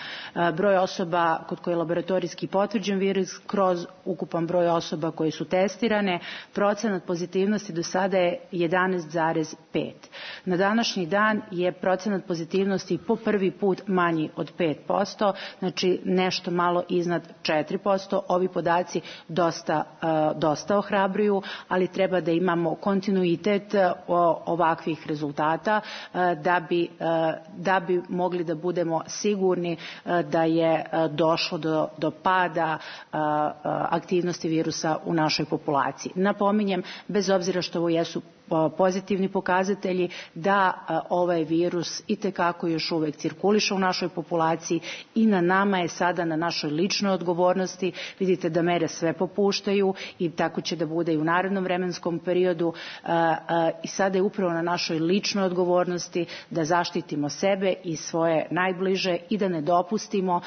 broj osoba kod koje je laboratorijski potvrđen virus kroz ukupan broj osoba koje su testirane, procenat pozitivnosti do sada je jedanaest zarez pet. Na današnji dan je procenat pozitivnosti po prvi put manji od pet posto, znači nešto malo iznad četiri posto. Ovi podaci dosta, dosta ohrabruju, ali treba da imamo kontinuitet ovakvih rezultata da bi da bi mogli da budemo sigurni da je došlo do, do pada aktivnosti virusa u našoj populaciji. Napominjem, bez obzira što ovo jesu pozitivni pokazatelji, da ovaj virus itekako još uvek cirkuliše u našoj populaciji i na nama je sada, na našoj ličnoj odgovornosti. Vidite da mere sve popuštaju i tako će da bude i u narednom vremenskom periodu, i sada je upravo na našoj ličnoj odgovornosti da zaštitimo sebe i svoje najbliže i da ne dopustimo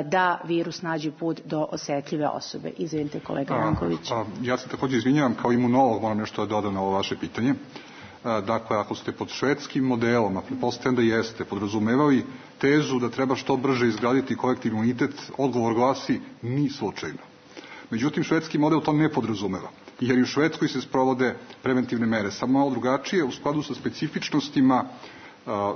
da virus nađe put do osetljive osobe. Izvinite, kolega Janković. A, a, ja se također izvinjavam, kao imunolog moram nešto da dodam na ovo vaše pitanje. Dakle, ako ste pod švedskim modelom, a pretpostavljam da jeste, podrazumevali tezu da treba što brže izgraditi kolektivni imunitet, odgovor glasi ni slučajno. Međutim, švedski model to ne podrazumeva, jer i u Švedskoj se sprovode preventivne mere, samo malo drugačije, u skladu sa specifičnostima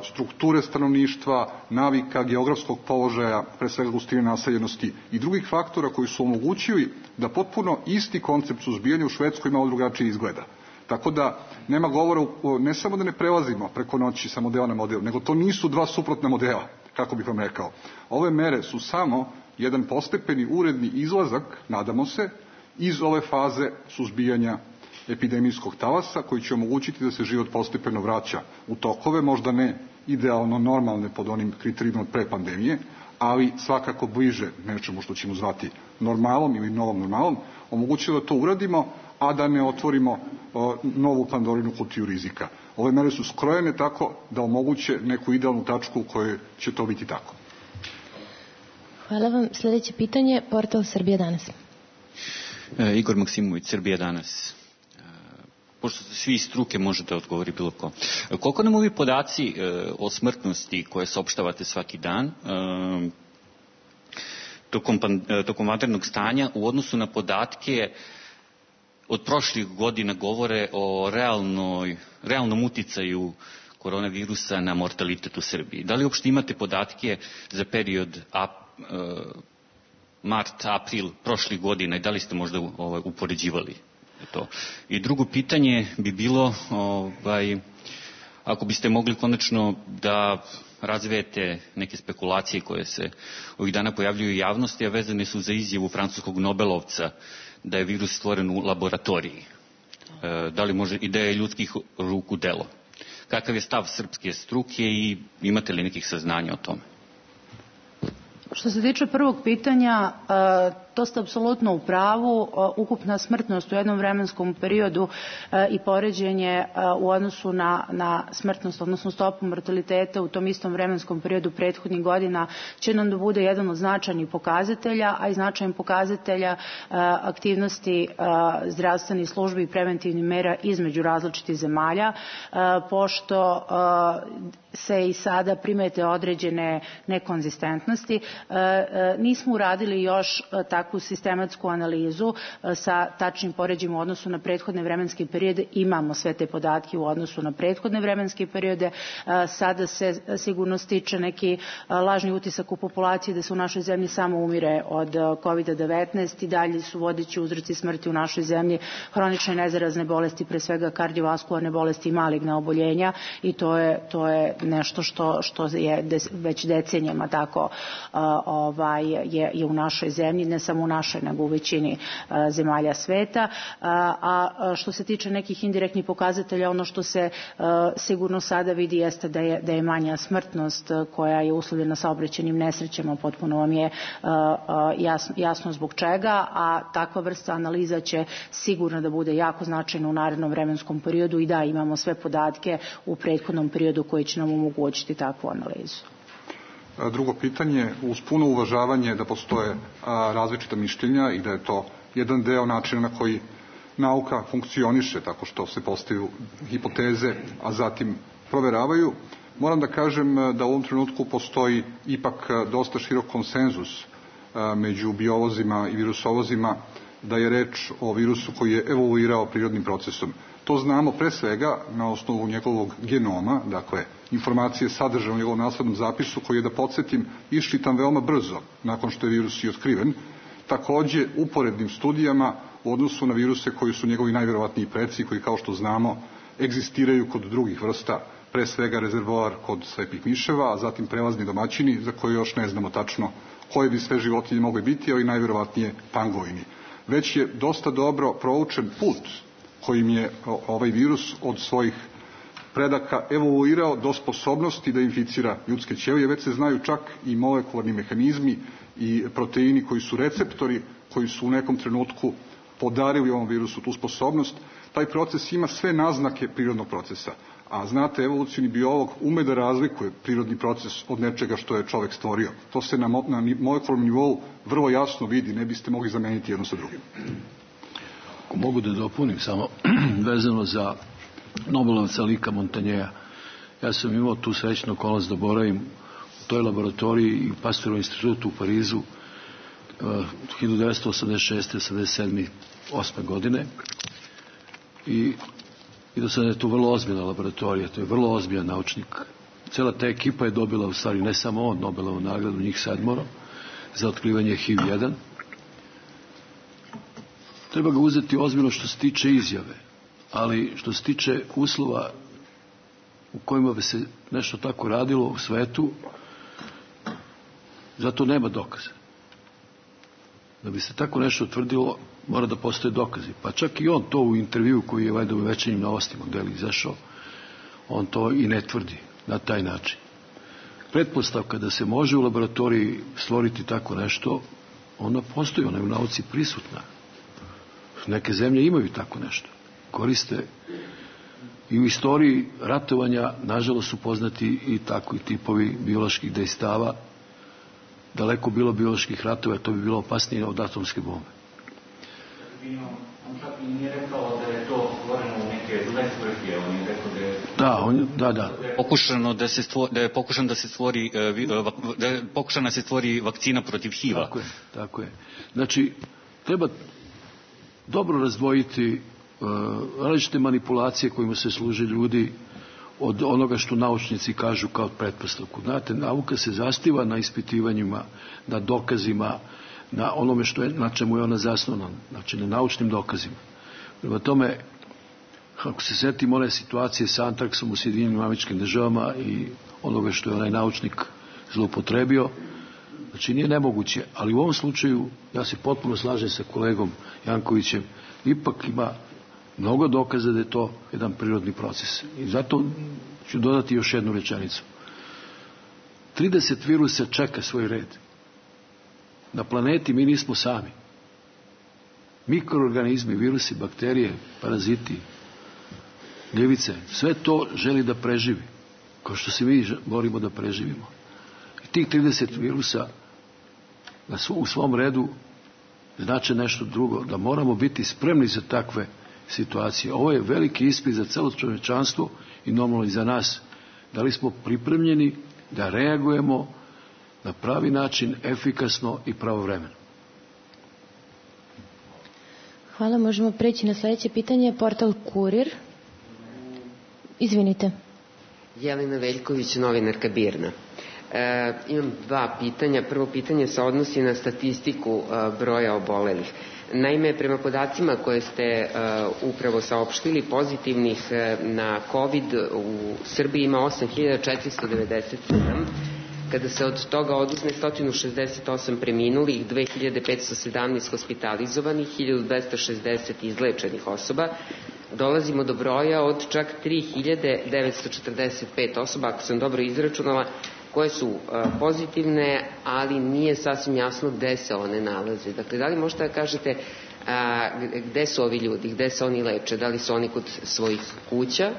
strukture stanovništva, navika, geografskog položaja, pre svega gustine naseljenosti i drugih faktora koji su omogućili da potpuno isti koncept suzbijanja u Švedskoj malo drugačije izgleda. Tako da nema govora, ne samo da ne prelazimo preko noći sa modela na model, nego to nisu dva suprotna modela, kako bih vam rekao. Ove mere su samo jedan postepeni uredni izlazak, nadamo se, iz ove faze suzbijanja epidemijskog talasa, koji će omogućiti da se život postepeno vraća u tokove, možda ne idealno normalne pod onim kriterijima od pre pandemije, ali svakako bliže nečemu što ćemo zvati normalom ili novom normalom, omogućilo da to uradimo, a da ne otvorimo o, novu Pandorinu kutiju rizika. Ove mere su skrojene tako da omoguće neku idealnu tačku u kojoj će to biti tako. Hvala vam. Sljedeće pitanje, portal Srbija danas. E, Igor Maksimović, Srbija danas. E, pošto svi iz struke možete odgovoriti bilo ko. Koliko nam ovi podaci o smrtnosti koje saopštavate svaki dan tokom, tokom vanrednog stanja u odnosu na podatke od prošlih godina govore o realnoj, realnom uticaju koronavirusa na mortalitet u Srbiji? Da li uopšte imate podatke za period ap, mart, april prošlih godina i da li ste možda ovaj, upoređivali to? I drugo pitanje bi bilo, ovaj, ako biste mogli konačno da razvijete neke spekulacije koje se ovih dana pojavljuju u javnosti, a vezane su za izjavu francuskog Nobelovca da je virus stvoren u laboratoriji. Da li može, i da je ljudskih ruku delo? Kakav je stav srpske struke i imate li nekih saznanja o tome? Što se tiče prvog pitanja, to ste apsolutno u pravu. Ukupna smrtnost u jednom vremenskom periodu i poređenje u odnosu na, na smrtnost, odnosno stopu mortaliteta u tom istom vremenskom periodu prethodnih godina će nam da bude jedan od značajnih pokazatelja, a i značajan pokazatelja aktivnosti zdravstvenih službi i preventivnih mera između različitih zemalja, pošto se i sada primete određene nekonzistentnosti. Nismo uradili još takvu sistematsku analizu sa tačnim poređima u odnosu na prethodne vremenske periode. Imamo sve te podatke u odnosu na prethodne vremenske periode. Sada se sigurno stiče neki lažni utisak u populaciji da se u našoj zemlji samo umire od kovid devetnaest i dalje su vodeći uzroci smrti u našoj zemlji hronične nezarazne bolesti, pre svega kardiovaskularne bolesti i maligna oboljenja, i to je, to je nešto što, što je des, već decenijama tako ovaj, je, je u našoj zemlji, ne samo u našoj, nego u većini zemalja sveta. A što se tiče nekih indirektnih pokazatelja, ono što se sigurno sada vidi jeste da je, da je manja smrtnost koja je uslovljena saobraćajnim nesrećama, potpuno vam je jasno, jasno zbog čega, a takva vrsta analiza će sigurno da bude jako značajna u narednom vremenskom periodu i da imamo sve podatke u prethodnom periodu koji će nam omogućiti takvu analizu. Drugo pitanje, uz puno uvažavanje da postoje različita mišljenja i da je to jedan deo načina na koji nauka funkcioniše, tako što se postavljaju hipoteze, a zatim proveravaju, moram da kažem da u ovom trenutku postoji ipak dosta širok konsenzus među biolozima i virusovozima da je reč o virusu koji je evoluirao prirodnim procesom. To znamo pre svega na osnovu njegovog genoma, dakle informacije sadržane u njegovom naslednom zapisu koji je, da podsjetim, iščitan veoma brzo nakon što je virus i otkriven. Takođe uporednim studijama u odnosu na viruse koji su njegovi najverovatniji preci, koji kao što znamo egzistiraju kod drugih vrsta, pre svega rezervoar kod slepih miševa, a zatim prelazni domaćini za koje još ne znamo tačno koje bi sve životinje mogli biti, ali najverovatnije pangolini. Već je dosta dobro proučen put kojim je ovaj virus od svojih predaka evoluirao do sposobnosti da inficira ljudske ćelije. Već se znaju čak i molekularni mehanizmi i proteini koji su receptori, koji su u nekom trenutku podarili ovom virusu tu sposobnost. Taj proces ima sve naznake prirodnog procesa. A znate, evolucioni biolog ume da razlikuje prirodni proces od nečega što je čovek stvorio. To se na, na molekularnom nivou vrlo jasno vidi, ne biste mogli zameniti jedno sa drugim. Ako mogu da dopunim samo vezano za Nobelovca Lika Montanjeja. Ja sam imao tu srećnu okolnost da boravim u toj laboratoriji i u Pasteurov institutu u Parizu hiljadu devetsto osamdeset šeste. osamdeset sedme. osme godine i, i do sada je to vrlo ozbiljna laboratorija, to je vrlo ozbiljan naučnik. Cela ta ekipa je dobila, u stvari ne samo on, Nobelovu nagradu, njih sedmoro, za otkrivanje H I V jedan. Treba ga uzeti ozbiljno što se tiče izjave, ali što se tiče uslova u kojima bi se nešto tako radilo u svetu, zato nema dokaza. Da bi se tako nešto utvrdilo, mora da postoje dokazi. Pa čak i on to u intervju koji je valjda u Večernjim novostima gde je izašao, on to i ne tvrdi na taj način. Pretpostavka da se može u laboratoriji stvoriti tako nešto, ona postoji, ona je u nauci prisutna. Neke zemlje imaju tako nešto. Koriste i u istoriji ratovanja, nažalost, su poznati i takvi tipovi bioloških dejstava. Daleko bilo bioloških ratova, to bi bilo opasnije od atomske bombe. On čak i nije rekao da je to stvoreno u neke svrhe, za svrhe, on je rekao da je... Da, on, da, da. Pokušano da se stvori, da je pokušan da se stvori, da je pokušana da se stvori vakcina protiv H I V-a. Tako je, tako je. Znači, treba dobro razdvojiti uh, različite manipulacije kojima se služe ljudi od onoga što naučnici kažu kao pretpostavku. Znate, nauka se zasniva na ispitivanjima, na dokazima, na onome što je, na čemu je ona zasnovana, znači na naučnim dokazima. Prema tome, ako se setimo one situacije sa antraksom u Sjedinjenim Američkim Državama i onoga što je onaj naučnik zloupotrebio, znači nije nemoguće, ali u ovom slučaju ja se potpuno slažem sa kolegom Jankovićem, ipak ima mnogo dokaza da je to jedan prirodni proces. I zato ću dodati još jednu rečenicu. trideset virusa čeka svoj red. Na planeti mi nismo sami. Mikroorganizmi, virusi, bakterije, paraziti, gljivice, sve to želi da preživi, kao što se mi borimo da preživimo. I tih trideset virusa u svom redu znače nešto drugo, da moramo biti spremni za takve situacije. Ovo je veliki ispit za celo čovečanstvo i normalno i za nas. Da li smo pripremljeni da reagujemo na pravi način, efikasno i pravovremeno? Hvala, možemo preći na sljedeće pitanje. Portal Kurir. Izvinite. Jelena Veljković, novinarka Birna. E, imam dva pitanja. Prvo pitanje se odnosi na statistiku e, broja obolelih. Naime, prema podacima koje ste uh, upravo saopštili, pozitivnih uh, na COVID u Srbiji ima osam hiljada četiristo devedeset sedam. Kada se od toga oduzme sto šezdeset osam preminulih, dve hiljade petsto sedamnaest hospitalizovanih, hiljadu dvesta šezdeset izlečenih osoba, dolazimo do broja od čak tri hiljade devetsto četrdeset pet osoba, ako sam dobro izračunala, koje su uh, pozitivne, ali nije sasvim jasno gde se one nalaze. Dakle, da li možete da kažete uh, gde su ovi ljudi, gde se oni leče, da li su oni kod svojih kuća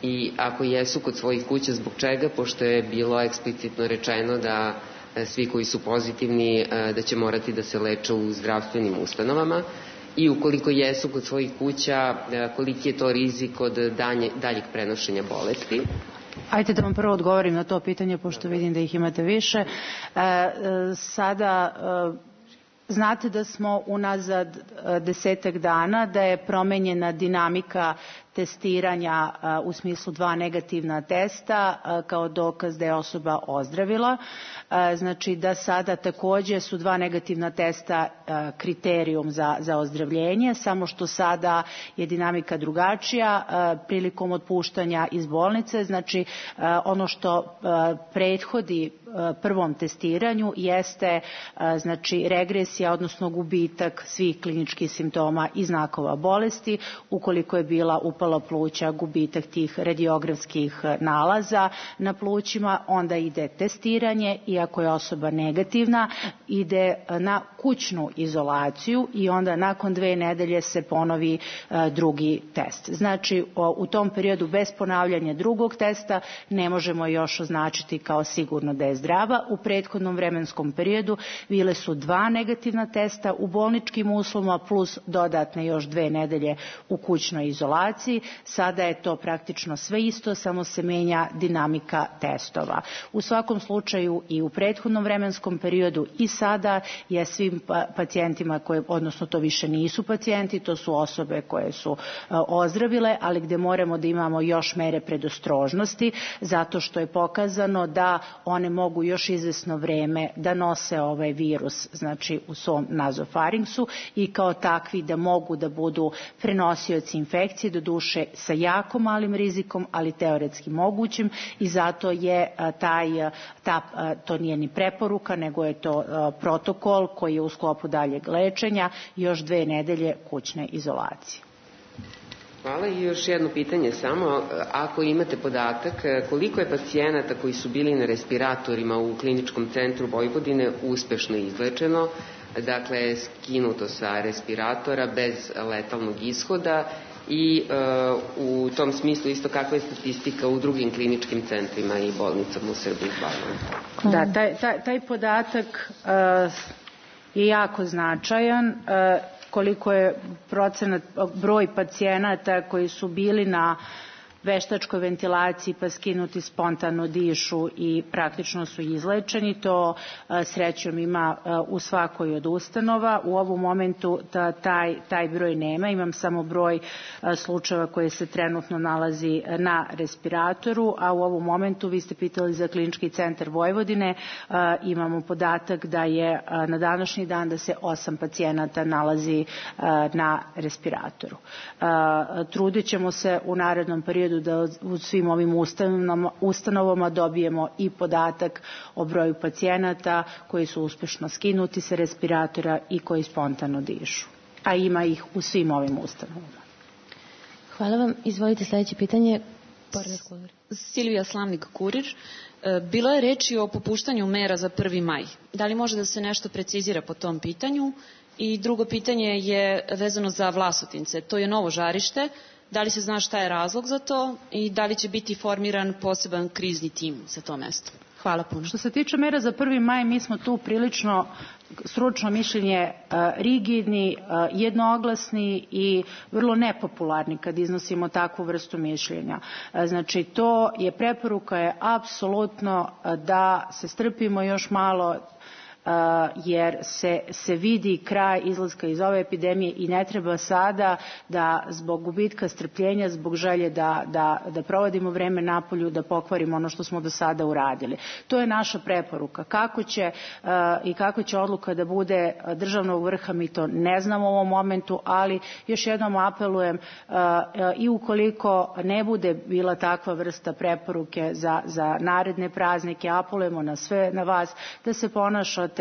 i ako jesu kod svojih kuća, zbog čega, pošto je bilo eksplicitno rečeno da uh, svi koji su pozitivni uh, da će morati da se leče u zdravstvenim ustanovama i ukoliko jesu kod svojih kuća, uh, koliki je to rizik od danje, daljeg prenošenja bolesti? Ajde da vam prvo odgovorim na to pitanje, pošto vidim da ih imate više. E, e, sada, e, znate da smo unazad e, desetak dana, da je promenjena dinamika testiranja a, u smislu dva negativna testa a, kao dokaz da je osoba ozdravila. A, znači da sada takođe su dva negativna testa a, kriterijum za, za ozdravljenje, samo što sada je dinamika drugačija a, prilikom otpuštanja iz bolnice. Znači a, ono što a, prethodi a, prvom testiranju jeste a, znači regresija, odnosno gubitak svih kliničkih simptoma i znakova bolesti, ukoliko je bila upala pluća, gubitak tih radiografskih nalaza na plućima, onda ide testiranje i ako je osoba negativna, ide na kućnu izolaciju i onda nakon dve nedelje se ponovi drugi test. Znači, u tom periodu bez ponavljanja drugog testa ne možemo još označiti kao sigurno da je zdrava. U prethodnom vremenskom periodu bile su dva negativna testa u bolničkim uslovima plus dodatne još dve nedelje u kućnoj izolaciji. Sada je to praktično sve isto, samo se menja dinamika testova. U svakom slučaju i u prethodnom vremenskom periodu i sada je svim pacijentima, koje, odnosno to više nisu pacijenti, to su osobe koje su ozdravile, ali gde moramo da imamo još mere predostrožnosti, zato što je pokazano da one mogu još izvesno vreme da nose ovaj virus, znači u svom nazofaringsu i kao takvi da mogu da budu prenosioci infekcije, do duše sa jako malim rizikom, ali teoretski mogućim i zato je taj, ta, to nije ni preporuka, nego je to protokol koji je u sklopu daljeg lečenja još dve nedelje kućne izolacije. Hvala i još jedno pitanje samo. Ako imate podatak, koliko je pacijenata koji su bili na respiratorima u kliničkom centru Vojvodine uspešno izlečeno, dakle skinuto sa respiratora bez letalnog ishoda i uh, u tom smislu isto kakva je statistika u drugim kliničkim centrima i bolnicama u Srbiji? Hvala. Da, taj, taj, taj podatak uh, je jako značajan. Uh, koliko je procenat, broj pacijenata koji su bili na veštačkoj ventilaciji pa skinuti spontano dišu i praktično su izlečeni. To srećom ima u svakoj od ustanova. U ovom momentu ta, taj, taj broj nema. Imam samo broj slučajeva koji se trenutno nalazi na respiratoru, a u ovom momentu, vi ste pitali za Klinički centar Vojvodine, imamo podatak da je na današnji dan da se osam pacijenata nalazi na respiratoru. Trudit ćemo se u narednom periodu da u svim ovim ustanovama, ustanovama dobijemo i podatak o broju pacijenata koji su uspešno skinuti sa respiratora i koji spontano dišu. A ima ih u svim ovim ustanovama. Hvala vam. Izvolite sledeće pitanje. Silvija Slavnik, Kurir. Bilo je reči o popuštanju mera za prvi maj. Da li može da se nešto precizira po tom pitanju? I drugo pitanje je vezano za Vlasotince. To je novo žarište. Da li se zna šta je razlog za to i da li će biti formiran poseban krizni tim za to mesto? Hvala puno. Što se tiče mera za prvi maj, mi smo tu prilično stručno mišljenje rigidni, jednoglasni i vrlo nepopularni kad iznosimo takvu vrstu mišljenja. Znači, to je preporuka je apsolutno da se strpimo još malo, jer se, se vidi kraj izlaska iz ove epidemije i ne treba sada da zbog gubitka strpljenja, zbog želje da, da, da provodimo vreme napolju, da pokvarimo ono što smo do sada uradili. To je naša preporuka. Kako će uh, i kako će odluka da bude državnog vrha, mi to ne znamo u ovom momentu, ali još jednom apelujem uh, uh, i ukoliko ne bude bila takva vrsta preporuke za, za naredne praznike, apelujemo na sve, na vas, da se ponašate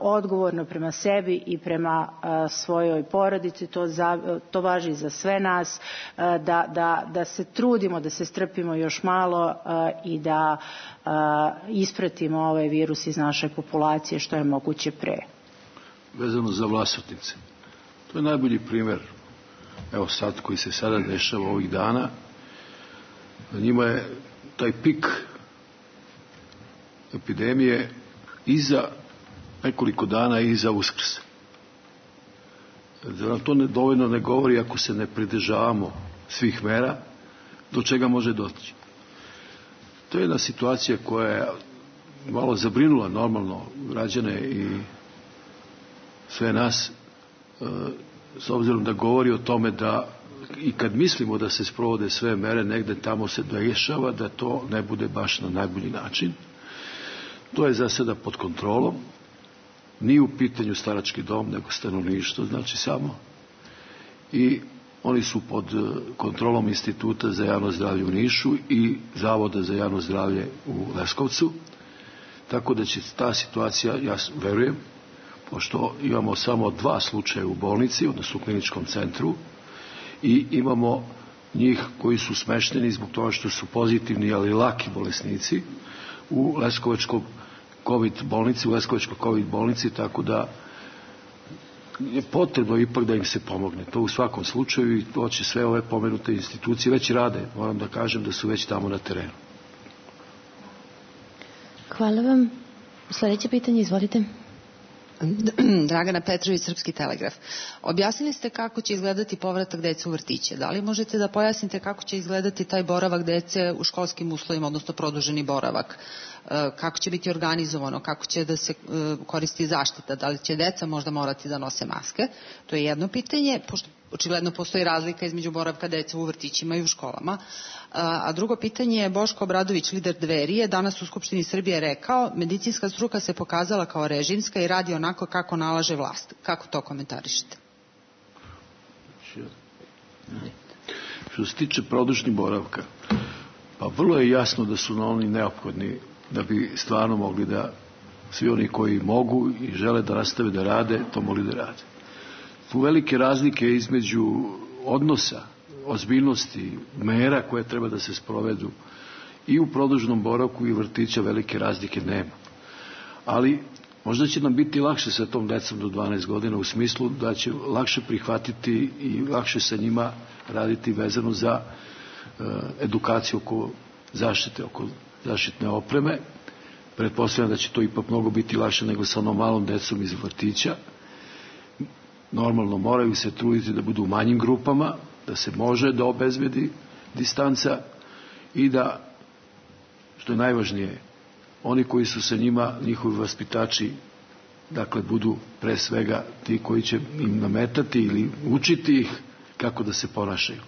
odgovorno prema sebi i prema svojoj porodici. To, za, to važi za sve nas, da, da, da se trudimo, da se strpimo još malo i da ispratimo ovaj virus iz naše populacije što je moguće pre. Vezano za Vlasotince. To je najbolji primer, evo sad, koji se sada dešava ovih dana. Na njima je taj pik epidemije iza nekoliko dana iza Uskrsa. Da nam to ne, dovoljno ne govori ako se ne pridržavamo svih mera, do čega može doći. To je jedna situacija koja je malo zabrinula normalno građane i sve nas, s obzirom da govori o tome da i kad mislimo da se sprovode sve mere, negde tamo se dešava da to ne bude baš na najbolji način. To je za sada pod kontrolom. Nije u pitanju starački dom, nego stanovništvo, znači samo. I oni su pod kontrolom Instituta za javno zdravlje u Nišu i Zavoda za javno zdravlje u Leskovcu. Tako da će ta situacija, ja verujem, pošto imamo samo dva slučaja u bolnici, odnosno u kliničkom centru, i imamo njih koji su smešteni zbog toga što su pozitivni, ali laki bolesnici u Leskovačkom COVID bolnici, u Leskovačkoj COVID bolnici, tako da je potrebno ipak da im se pomogne. To u svakom slučaju i to će sve ove pomenute institucije već rade. Moram da kažem da su već tamo na terenu. Hvala vam. Sljedeće pitanje, izvolite. Dragana Petrović, Srpski telegraf. Objasnili ste kako će izgledati povratak dece u vrtiće. Da li možete da pojasnite kako će izgledati taj boravak dece u školskim uslovima, odnosno produženi boravak? Kako će biti organizovano, kako će da se koristi zaštita, da li će deca možda morati da nose maske? To je jedno pitanje, pošto očigledno postoji razlika između boravka dece u vrtićima i u školama. A drugo pitanje je Boško Obradović, lider Dveri, je danas u Skupštini Srbije rekao: medicinska struka se pokazala kao režimska i radi onako kako nalaže vlast. Kako to komentarišete? Što se tiče produžnih boravka, pa vrlo je jasno da su na oni neophodni da bi stvarno mogli da svi oni koji mogu i žele da nastave da rade, to mogli da rade. Tu velike razlike između odnosa, ozbiljnosti, mera koje treba da se sprovedu i u produženom boravku i vrtića, velike razlike nema. Ali možda će nam biti lakše sa tom decom do dvanaest godina u smislu da će lakše prihvatiti i lakše sa njima raditi vezano za uh, edukaciju oko zaštite, oko zaštitne opreme. Pretpostavljam da će to ipak mnogo biti lakše nego sa onom malom decom iz vrtića. Normalno moraju se truditi da budu u manjim grupama, da se može da obezbedi distanca i da, što je najvažnije, oni koji su sa njima, njihovi vaspitači, dakle, budu pre svega ti koji će im nametati ili učiti ih kako da se ponašaju.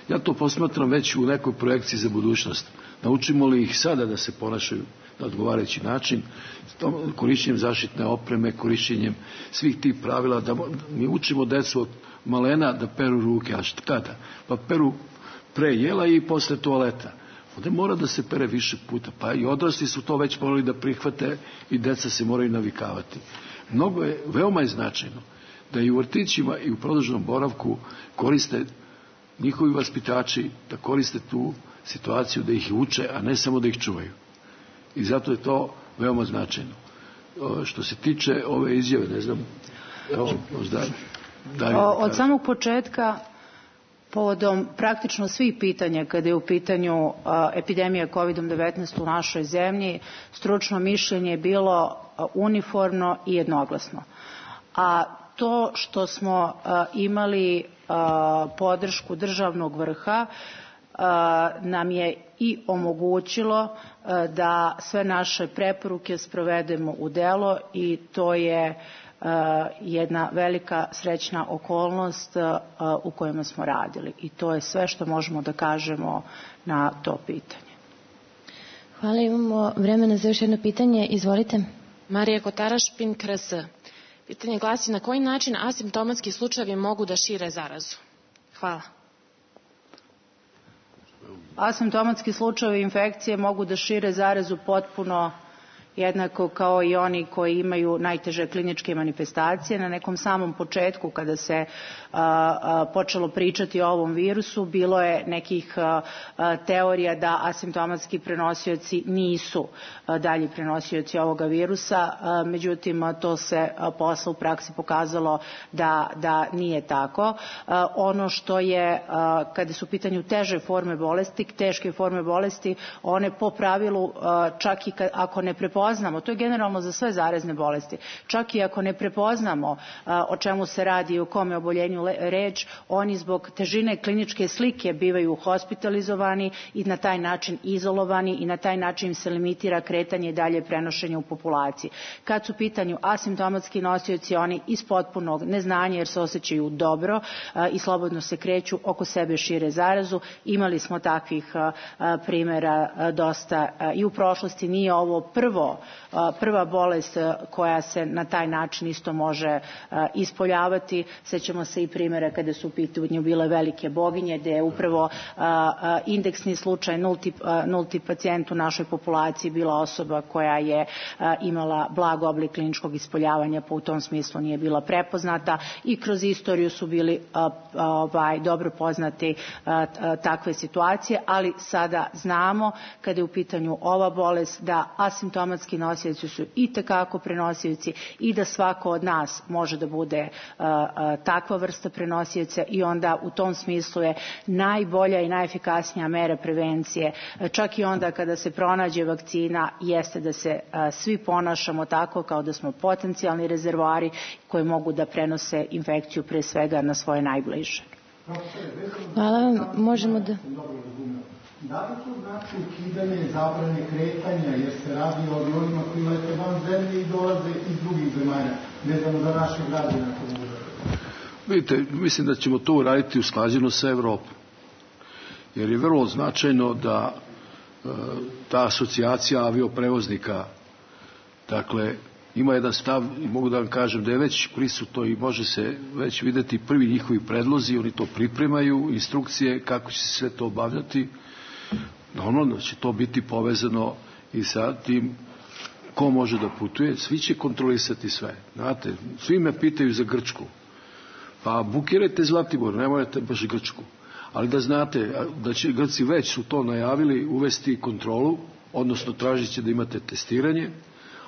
Ja to posmatram već u nekoj projekciji za budućnost. Naučimo li ih sada da se ponašaju na odgovarajući način, korišćenjem zaštitne opreme, korišćenjem svih tih pravila, da mi učimo decu od malena da peru ruke, a šta kada? Pa peru pre jela i posle toaleta. Onda mora da se pere više puta, pa i odrasli su to već morali da prihvate i deca se moraju navikavati. Mnogo je, veoma je značajno da i u vrtićima i u produženom boravku koriste njihovi vaspitači, da koriste tu situaciju, da ih uče, a ne samo da ih čuvaju. I zato je to veoma značajno. Što se tiče ove izjave, ne znam, evo, možda daju. Od samog početka, povodom praktično svih pitanja kada je u pitanju epidemija kovid devetnaest u našoj zemlji, stručno mišljenje je bilo uniformno i jednoglasno. A to što smo imali podršku državnog vrha nam je i omogućilo da sve naše preporuke sprovedemo u delo i to je jedna velika srećna okolnost u kojima smo radili. I to je sve što možemo da kažemo na to pitanje. Hvala, imamo vremena za još jedno pitanje. Izvolite. Marija Kotaraš, P I N K R S. Pitanje glasi: na koji način asimptomatski slučajevi mogu da šire zarazu? Hvala. Asimptomatski slučajevi infekcije mogu da šire zarazu potpuno jednako kao i oni koji imaju najteže kliničke manifestacije. Na nekom samom početku, kada se a, a, počelo pričati o ovom virusu, bilo je nekih a, a, teorija da asimptomatski prenosioci nisu a, dalji prenosioci ovoga virusa, a, međutim a, to se a, posle u praksi pokazalo da, da nije tako. A, ono što je, a, kada su u pitanju teže forme bolesti, teške forme bolesti, one po pravilu, a, čak i kad, ako ne prepoznamo, to je generalno za sve zarazne bolesti, čak i ako ne prepoznamo a, o čemu se radi i o kome oboljenju le, reč, oni zbog težine kliničke slike bivaju hospitalizovani i na taj način izolovani i na taj način se limitira kretanje i dalje prenošenje u populaciji. Kad su u pitanju asimptomatski nosioci, oni iz potpunog neznanja jer se osjećaju dobro a, i slobodno se kreću, oko sebe šire zarazu. Imali smo takvih a, a, primjera a, dosta a, i u prošlosti. Nije ovo prvo prva bolest koja se na taj način isto može ispoljavati. Sećamo se i primjera kada su u pitanju bile velike boginje, gde je upravo indeksni slučaj, nulti, nulti pacijent u našoj populaciji bila osoba koja je imala blag oblik kliničkog ispoljavanja, pa u tom smislu nije bila prepoznata i kroz istoriju su bili ovaj, dobro poznati takve situacije, ali sada znamo kada je u pitanju ova bolest da asimptomatski nosioci su i tekako prenosioci i da svako od nas može da bude uh, uh, takva vrsta prenosioca i onda u tom smislu je najbolja i najefikasnija mera prevencije, čak i onda kada se pronađe vakcina, jeste da se uh, svi ponašamo tako kao da smo potencijalni rezervoari koji mogu da prenose infekciju pre svega na svoje najbliže. Hvala vam, možemo da... Da li to znači ukidanje zabrane kretanja, jer se radi o avionima koji lete van zemlje i dolaze iz drugih zemalja, vezano za naše građane? Vidite, mislim da ćemo to uraditi usklađeno sa Evropom, jer je vrlo značajno da e, ta asocijacija avioprevoznika, dakle, ima jedan stav i mogu da vam kažem da je već prisutno i može se već videti prvi njihovi predlozi, oni to pripremaju, instrukcije kako će se sve to obavljati. Normalno će to biti povezano i sa tim ko može da putuje, svi će kontrolisati sve. Znate, svi me pitaju za Grčku. Pa bukirajte Zlatibor, ne morate baš Grčku. Ali da znate da će Grci već su to najavili uvesti kontrolu, odnosno tražit će da imate testiranje,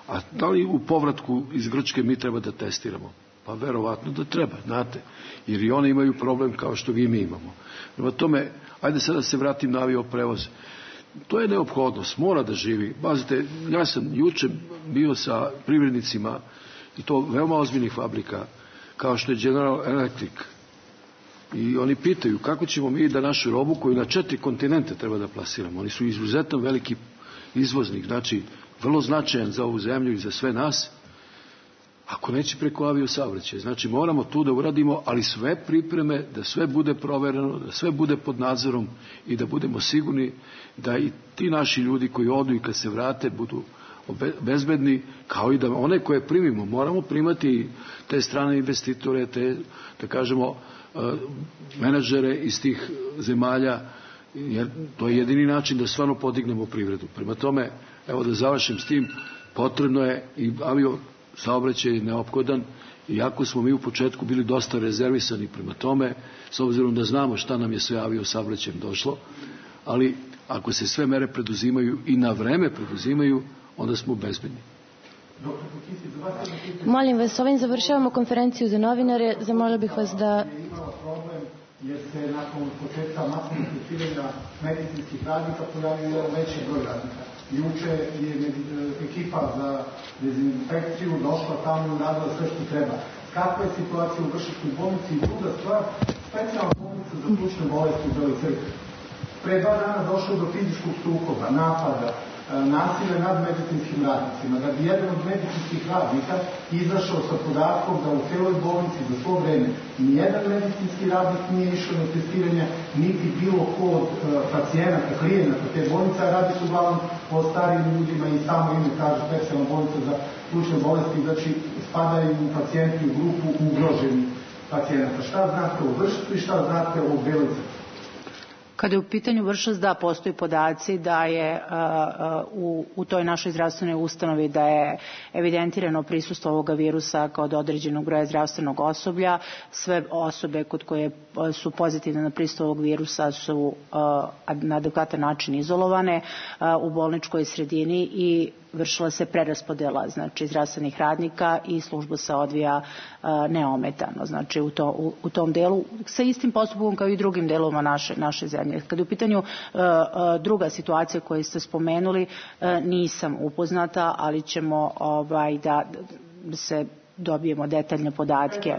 a da li u povratku iz Grčke mi treba da testiramo? Pa verovatno da treba, znate, jer i oni imaju problem kao što i mi imamo. Prema tome, ajde sada se vratim na avioprevoz. To je neophodnost, mora da živi. Bazite, ja sam juče bio sa privrednicima, i to veoma ozbiljnih fabrika, kao što je General Electric. I oni pitaju kako ćemo mi da našu robu koju na četiri kontinente treba da plasiramo. Oni su izuzetno veliki izvoznik, znači vrlo značajan za ovu zemlju i za sve nas, ako neće preko aviosaobraćaja. Znači moramo tu da uradimo, ali sve pripreme, da sve bude provereno, da sve bude pod nadzorom i da budemo sigurni da i ti naši ljudi koji odu i kad se vrate budu bezbedni, kao i da one koje primimo, moramo primati te strane investitore, te, da kažemo, menadžere iz tih zemalja, jer to je jedini način da stvarno podignemo privredu. Prema tome, evo da završim s tim, potrebno je i avio saobraćaj je neophodan, iako smo mi u početku bili dosta rezervisani prema tome, s obzirom da znamo šta nam je sve avio saobraćajem došlo, ali ako se sve mere preduzimaju i na vreme preduzimaju, onda smo bezbedni. Molim vas, ovim završavamo konferenciju za novinare. Zamolila bih vas da... jer se nakon početka masovnog testiranja medicinskih radnika pojavio jedan veći broj radnika. Juče je ekipa za dezinfekciju došla tamo i uradila sve što treba. Kakva je situacija u Vršačkoj bolnici? I druga stvar, specijalna bolnica za plućne bolesti u Beloj Crkvi. Pre dva dana došlo do fizičkog sukoba, napada, nasilja nad medicinskim radnicima, da bi jedan od medicinskih radnika izašao sa podatkom da u celoj bolnici za svo vreme nijedan medicinski radnik nije išao na testiranje, niti bilo ko od pacijenata, klijenata te bolnice, a radi se uglavnom o starijim ljudima i samo ime kaže specijalna bolnica za plućne bolesti, znači spadaju u pacijenti u grupu ugroženih pacijenata. Šta znate o Vršcu i šta znate o Beloj Crkvi? Kada je u pitanju Vršac, da, postoji podaci da je uh, u, u toj našoj zdravstvenoj ustanovi da je evidentirano prisustvo ovoga virusa kod određenog broja zdravstvenog osoblja. Sve osobe kod koje su pozitivne na prisustvo ovog virusa su uh, na adekvatan način izolovane uh, u bolničkoj sredini i vršila se preraspodela, znači zdravstvenih radnika i služba se odvija uh, neometano, znači u, to, u, u tom delu sa istim postupkom kao i drugim delovima naše, naše zemlje. Kada je u pitanju uh, uh, druga situacija koju ste spomenuli, uh, nisam upoznata, ali ćemo ovaj, da se dobijemo detaljne podatke.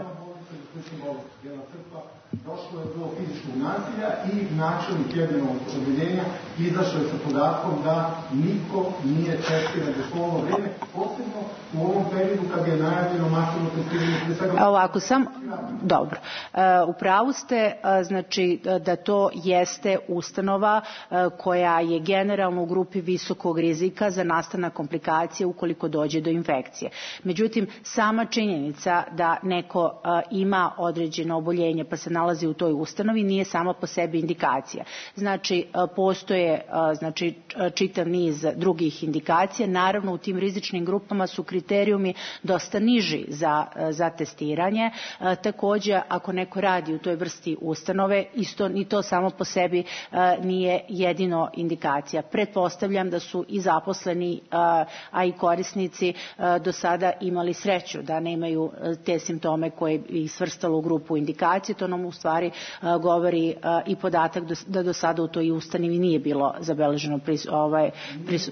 Došlo je do fizičkog nasilja i načelnik jednog odeljenja izašao je sa podatkom da niko nije testiran do svojho vreme, posebno u ovom periodu kad je najavljeno masovno testiranje. Ovako sam, dobro. U pravu ste, znači da to jeste ustanova koja je generalno u grupi visokog rizika za nastanak komplikacije ukoliko dođe do infekcije. Međutim, sama činjenica da neko ima određeno oboljenje pa se nalazi u toj ustanovi nije sama po sebi indikacija. Znači, postoje znači, čitav niz drugih indikacija. Naravno, u tim rizičnim grupama su kriterijumi dosta niži za, za testiranje. Također, ako neko radi u toj vrsti ustanove, isto ni to samo po sebi nije jedino indikacija. Pretpostavljam da su i zaposleni, a i korisnici do sada imali sreću da nemaju te simptome koje ih svrstalo u grupu indikacije. To nam u stvari uh, govori uh, i podatak da do sada u toj ustanovi nije bilo zabeleženo pris, ovaj, pris...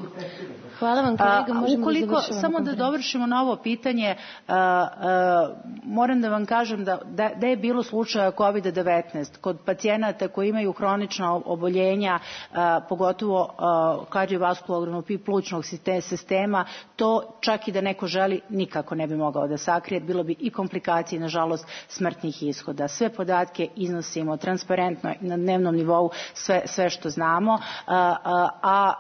Hvala vam kolega, možemo ukoliko, da završavamo. Samo da dovršimo na ovo pitanje, uh, uh, moram da vam kažem da, da, da je bilo slučaja kovid devetnaest kod pacijenata koji imaju hronična oboljenja, uh, pogotovo uh, kardiovaskularnog i plućnog sistema, to čak i da neko želi nikako ne bi mogao da sakrije, bilo bi i komplikacije, nažalost, smrtnih ishoda. Sve podatke iznosimo transparentno na dnevnom nivou, sve, sve što znamo, uh, a, a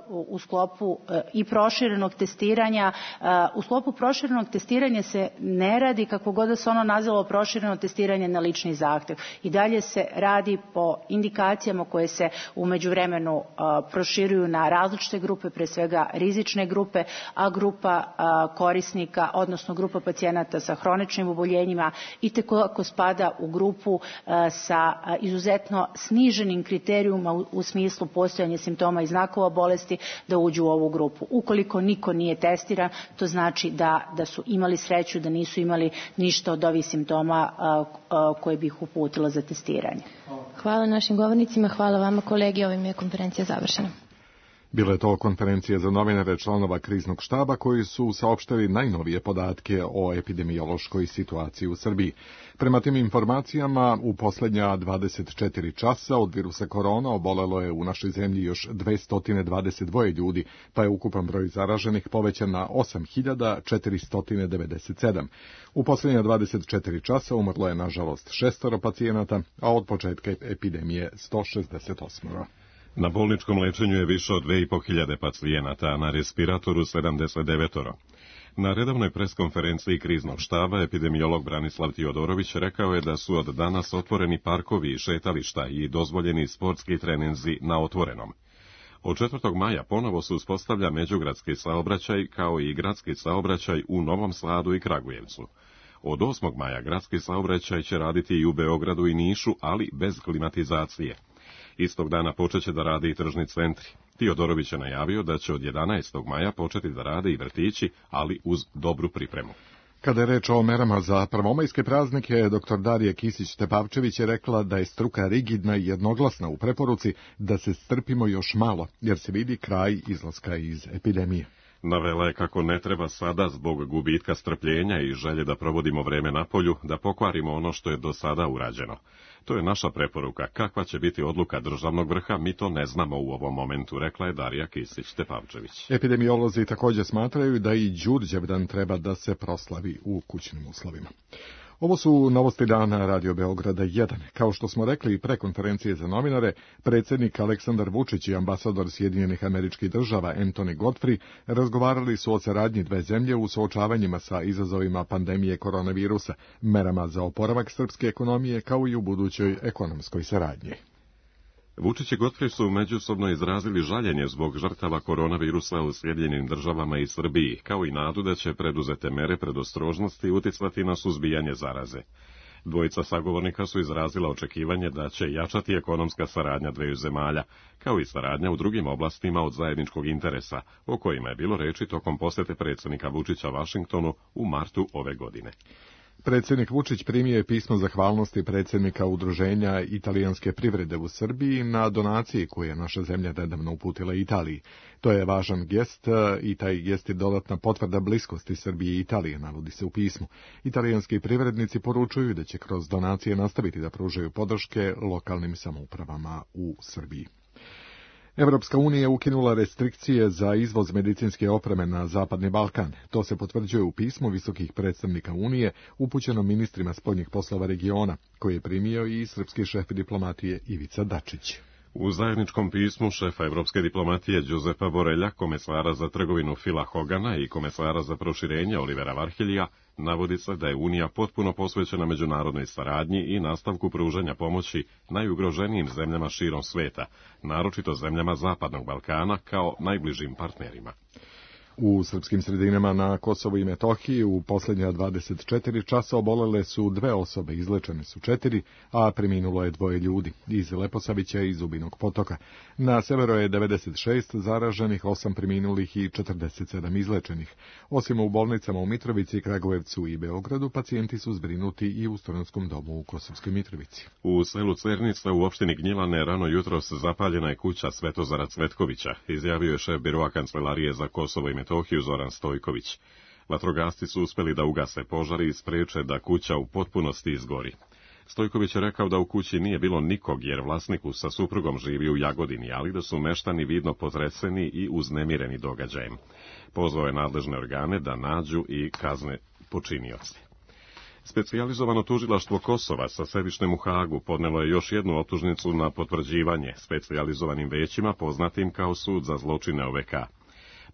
uh, u sklopu uh, i proširenog testiranja, uh, u sklopu proširenog testiranja se ne radi, kako god da se ono nazvalo, prošireno testiranje na lični zahtev. I dalje se radi po indikacijama koje se u međuvremenu uh, proširuju na različite grupe, pre svega rizične grupe, a grupa uh, korisnika, odnosno grupa pacijenata sa hroničnim oboljenjima i tekako spada u grupu uh, sa uh, izuzetno sniženim kriterijuma u, u smislu postojanja simptoma i znakova bolesti da uđu u ovu grupu. Ukoliko niko nije testiran, to znači da, da su imali sreću, da nisu imali ništa od ovih simptoma uh, uh, koje bi ih uputila za testiranje. Hvala našim govornicima, hvala vama kolegi, ovim je konferencija završena. Bile to konferencije za novinare članova kriznog štaba koji su saopštili najnovije podatke o epidemiološkoj situaciji u Srbiji. Prema tim informacijama, u posljednja dvadeset četiri časa od virusa korona obolelo je u našoj zemlji još dvesta dvadeset dva ljudi, pa je ukupan broj zaraženih povećan na osam hiljada četiristo devedeset sedam. U posljednja dvadeset četiri časa umrlo je nažalost šestoro pacijenata, a od početka epidemije sto šezdeset osam. Na bolničkom lečenju je više od dve i po hiljade pacijenata, a na respiratoru sedamdeset devet. Na redovnoj preskonferenciji kriznog štaba epidemiolog Branislav Tiodorović rekao je da su od danas otvoreni parkovi i šetališta i dozvoljeni sportski treninzi na otvorenom. Od četvrtog maja ponovo se uspostavlja međugradski saobraćaj kao i gradski saobraćaj u Novom Sadu i Kragujevcu. Od osmog maja gradski saobraćaj će raditi i u Beogradu i Nišu, ali bez klimatizacije. Istog dana počeće da rade i tržni centri. Tiodorović je najavio da će od jedanaestog maja početi da rade i vrtići, ali uz dobru pripremu. Kada je reč o merama za prvomajske praznike, doktor Darija Kisić-Tepavčević je rekla da je struka rigidna i jednoglasna u preporuci da se strpimo još malo, jer se vidi kraj izlaska iz epidemije. Navela je kako ne treba sada, zbog gubitka strpljenja i želje da provodimo vreme na polju, da pokvarimo ono što je do sada urađeno. To je naša preporuka. Kakva će biti odluka državnog vrha, mi to ne znamo u ovom momentu, rekla je Darija Kisić-Tepavčević. Epidemiolozi također smatraju da i Đurđevdan treba da se proslavi u kućnim uslovima. Ovo su novosti dana Radio Beograda jedan. Kao što smo rekli pre konferencije za novinare, predsjednik Aleksandar Vučić i ambasador Sjedinjenih Američkih Država Anthony Godfrey razgovarali su o saradnji dve zemlje u suočavanjima sa izazovima pandemije koronavirusa, merama za oporavak srpske ekonomije kao i u budućoj ekonomskoj saradnji. Vučić i Godfrey su međusobno izrazili žaljenje zbog žrtava koronavirusa u Sjedinjenim Državama i Srbiji, kao i nadu da će preduzete mere predostrožnosti uticati na suzbijanje zaraze. Dvojica sagovornika su izrazila očekivanje da će jačati ekonomska saradnja dveju zemalja, kao i saradnja u drugim oblastima od zajedničkog interesa, o kojima je bilo reči tokom posete predsjednika Vučića Vašingtonu u martu ove godine. Predsjednik Vučić primio je pismo zahvalnosti predsjednika Udruženja italijanske privrede u Srbiji na donaciji koju je naša zemlja nedavno uputila Italiji. To je važan gest i taj gest je dodatna potvrda bliskosti Srbije i Italije, navodi se u pismu. Italijanski privrednici poručuju da će kroz donacije nastaviti da pružaju podrške lokalnim samoupravama u Srbiji. Evropska unija je ukinula restrikcije za izvoz medicinske opreme na Zapadni Balkan. To se potvrđuje u pismu visokih predstavnika Unije upućenom ministrima spoljnih poslova regiona, koji je primio i srpski šef diplomatije Ivica Dačić. U zajedničkom pismu šefa evropske diplomatije Giuseppa Borrella, komesara za trgovinu Phila Hogana i komesara za proširenje Olivera Varheljija, navodi se da je Unija potpuno posvećena međunarodnoj saradnji i nastavku pružanja pomoći najugroženijim zemljama širom sveta, naročito zemljama Zapadnog Balkana kao najbližim partnerima. U srpskim sredinama na Kosovu i Metohiji u posljednja dvadeset četiri časa obolele su dve osobe, izlečene su četiri, a preminulo je dvoje ljudi iz Leposavića i Zubinog Potoka. Na severu je devedeset šest zaraženih, osam preminulih i četrdeset sedam izlečenih. Osim u bolnicama u Mitrovici, Kragujevcu i Beogradu, pacijenti su zbrinuti i u Studentskom domu u Kosovskoj Mitrovici. U selu Cernica u opštini Gnjilane rano jutros zapaljena je kuća Svetozara Cvetkovića, izjavio je šef biroa Kancelarije za Kosovo i Metohiju Zoran Stojković. Vatrogasci su uspeli da ugase požar i spreče da kuća u potpunosti izgori. Stojković je rekao da u kući nije bilo nikog jer vlasniku sa suprugom živi u Jagodini, ali da su meštani vidno potreseni i uznemireni događajem. Pozvao je nadležne organe da nađu i kazne počinioce. Specijalizovano tužilaštvo Kosova sa sedištem u Hagu podnelo je još jednu optužnicu na potvrđivanje specijalizovanim većima poznatim kao sud za zločine O V K.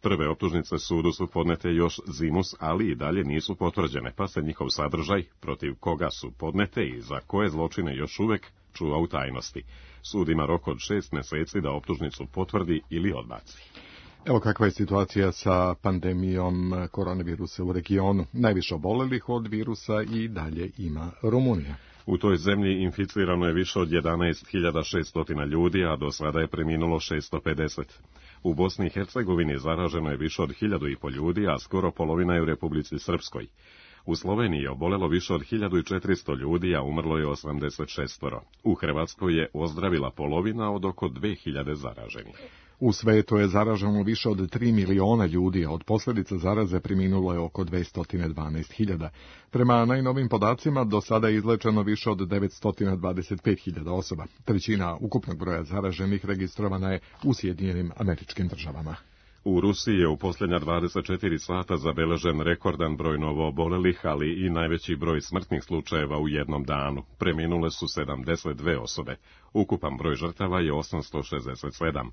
Prve optužnice sudu su podnete još zimus, ali i dalje nisu potvrđene, pa se njihov sadržaj, protiv koga su podnete i za koje zločine još uvek, čuva u tajnosti. Sud ima rok od šest meseci da optužnicu potvrdi ili odbaci. Evo kakva je situacija sa pandemijom koronavirusa u regionu. Najviše obolelih od virusa i dalje ima Rumunija. U toj zemlji inficirano je više od jedanaest hiljada šesto ljudi, a do sada je preminulo šesto pedeset. U Bosni i Hercegovini zaraženo je više od hiljadu i po ljudi, a skoro polovina je u Republici Srpskoj. U Sloveniji je obolelo više od hiljadu četiristo ljudi, a umrlo je osamdeset šest. U Hrvatskoj je ozdravila polovina od oko dve hiljade zaraženih. U svetu je zaraženo više od tri miliona ljudi, a od posljedica zaraze preminulo je oko dvesta dvanaest hiljada. Prema najnovim podacima, do sada je izlečeno više od devetsto dvadeset pet hiljada osoba. Trećina ukupnog broja zaraženih registrovana je u Sjedinjenim Američkim Državama. U Rusiji je u posljednja dvadeset četiri sata zabeležen rekordan broj novoobolelih, ali i najveći broj smrtnih slučajeva u jednom danu. Preminule su sedamdeset dve osobe. Ukupan broj žrtava je osamsto šezdeset sedam.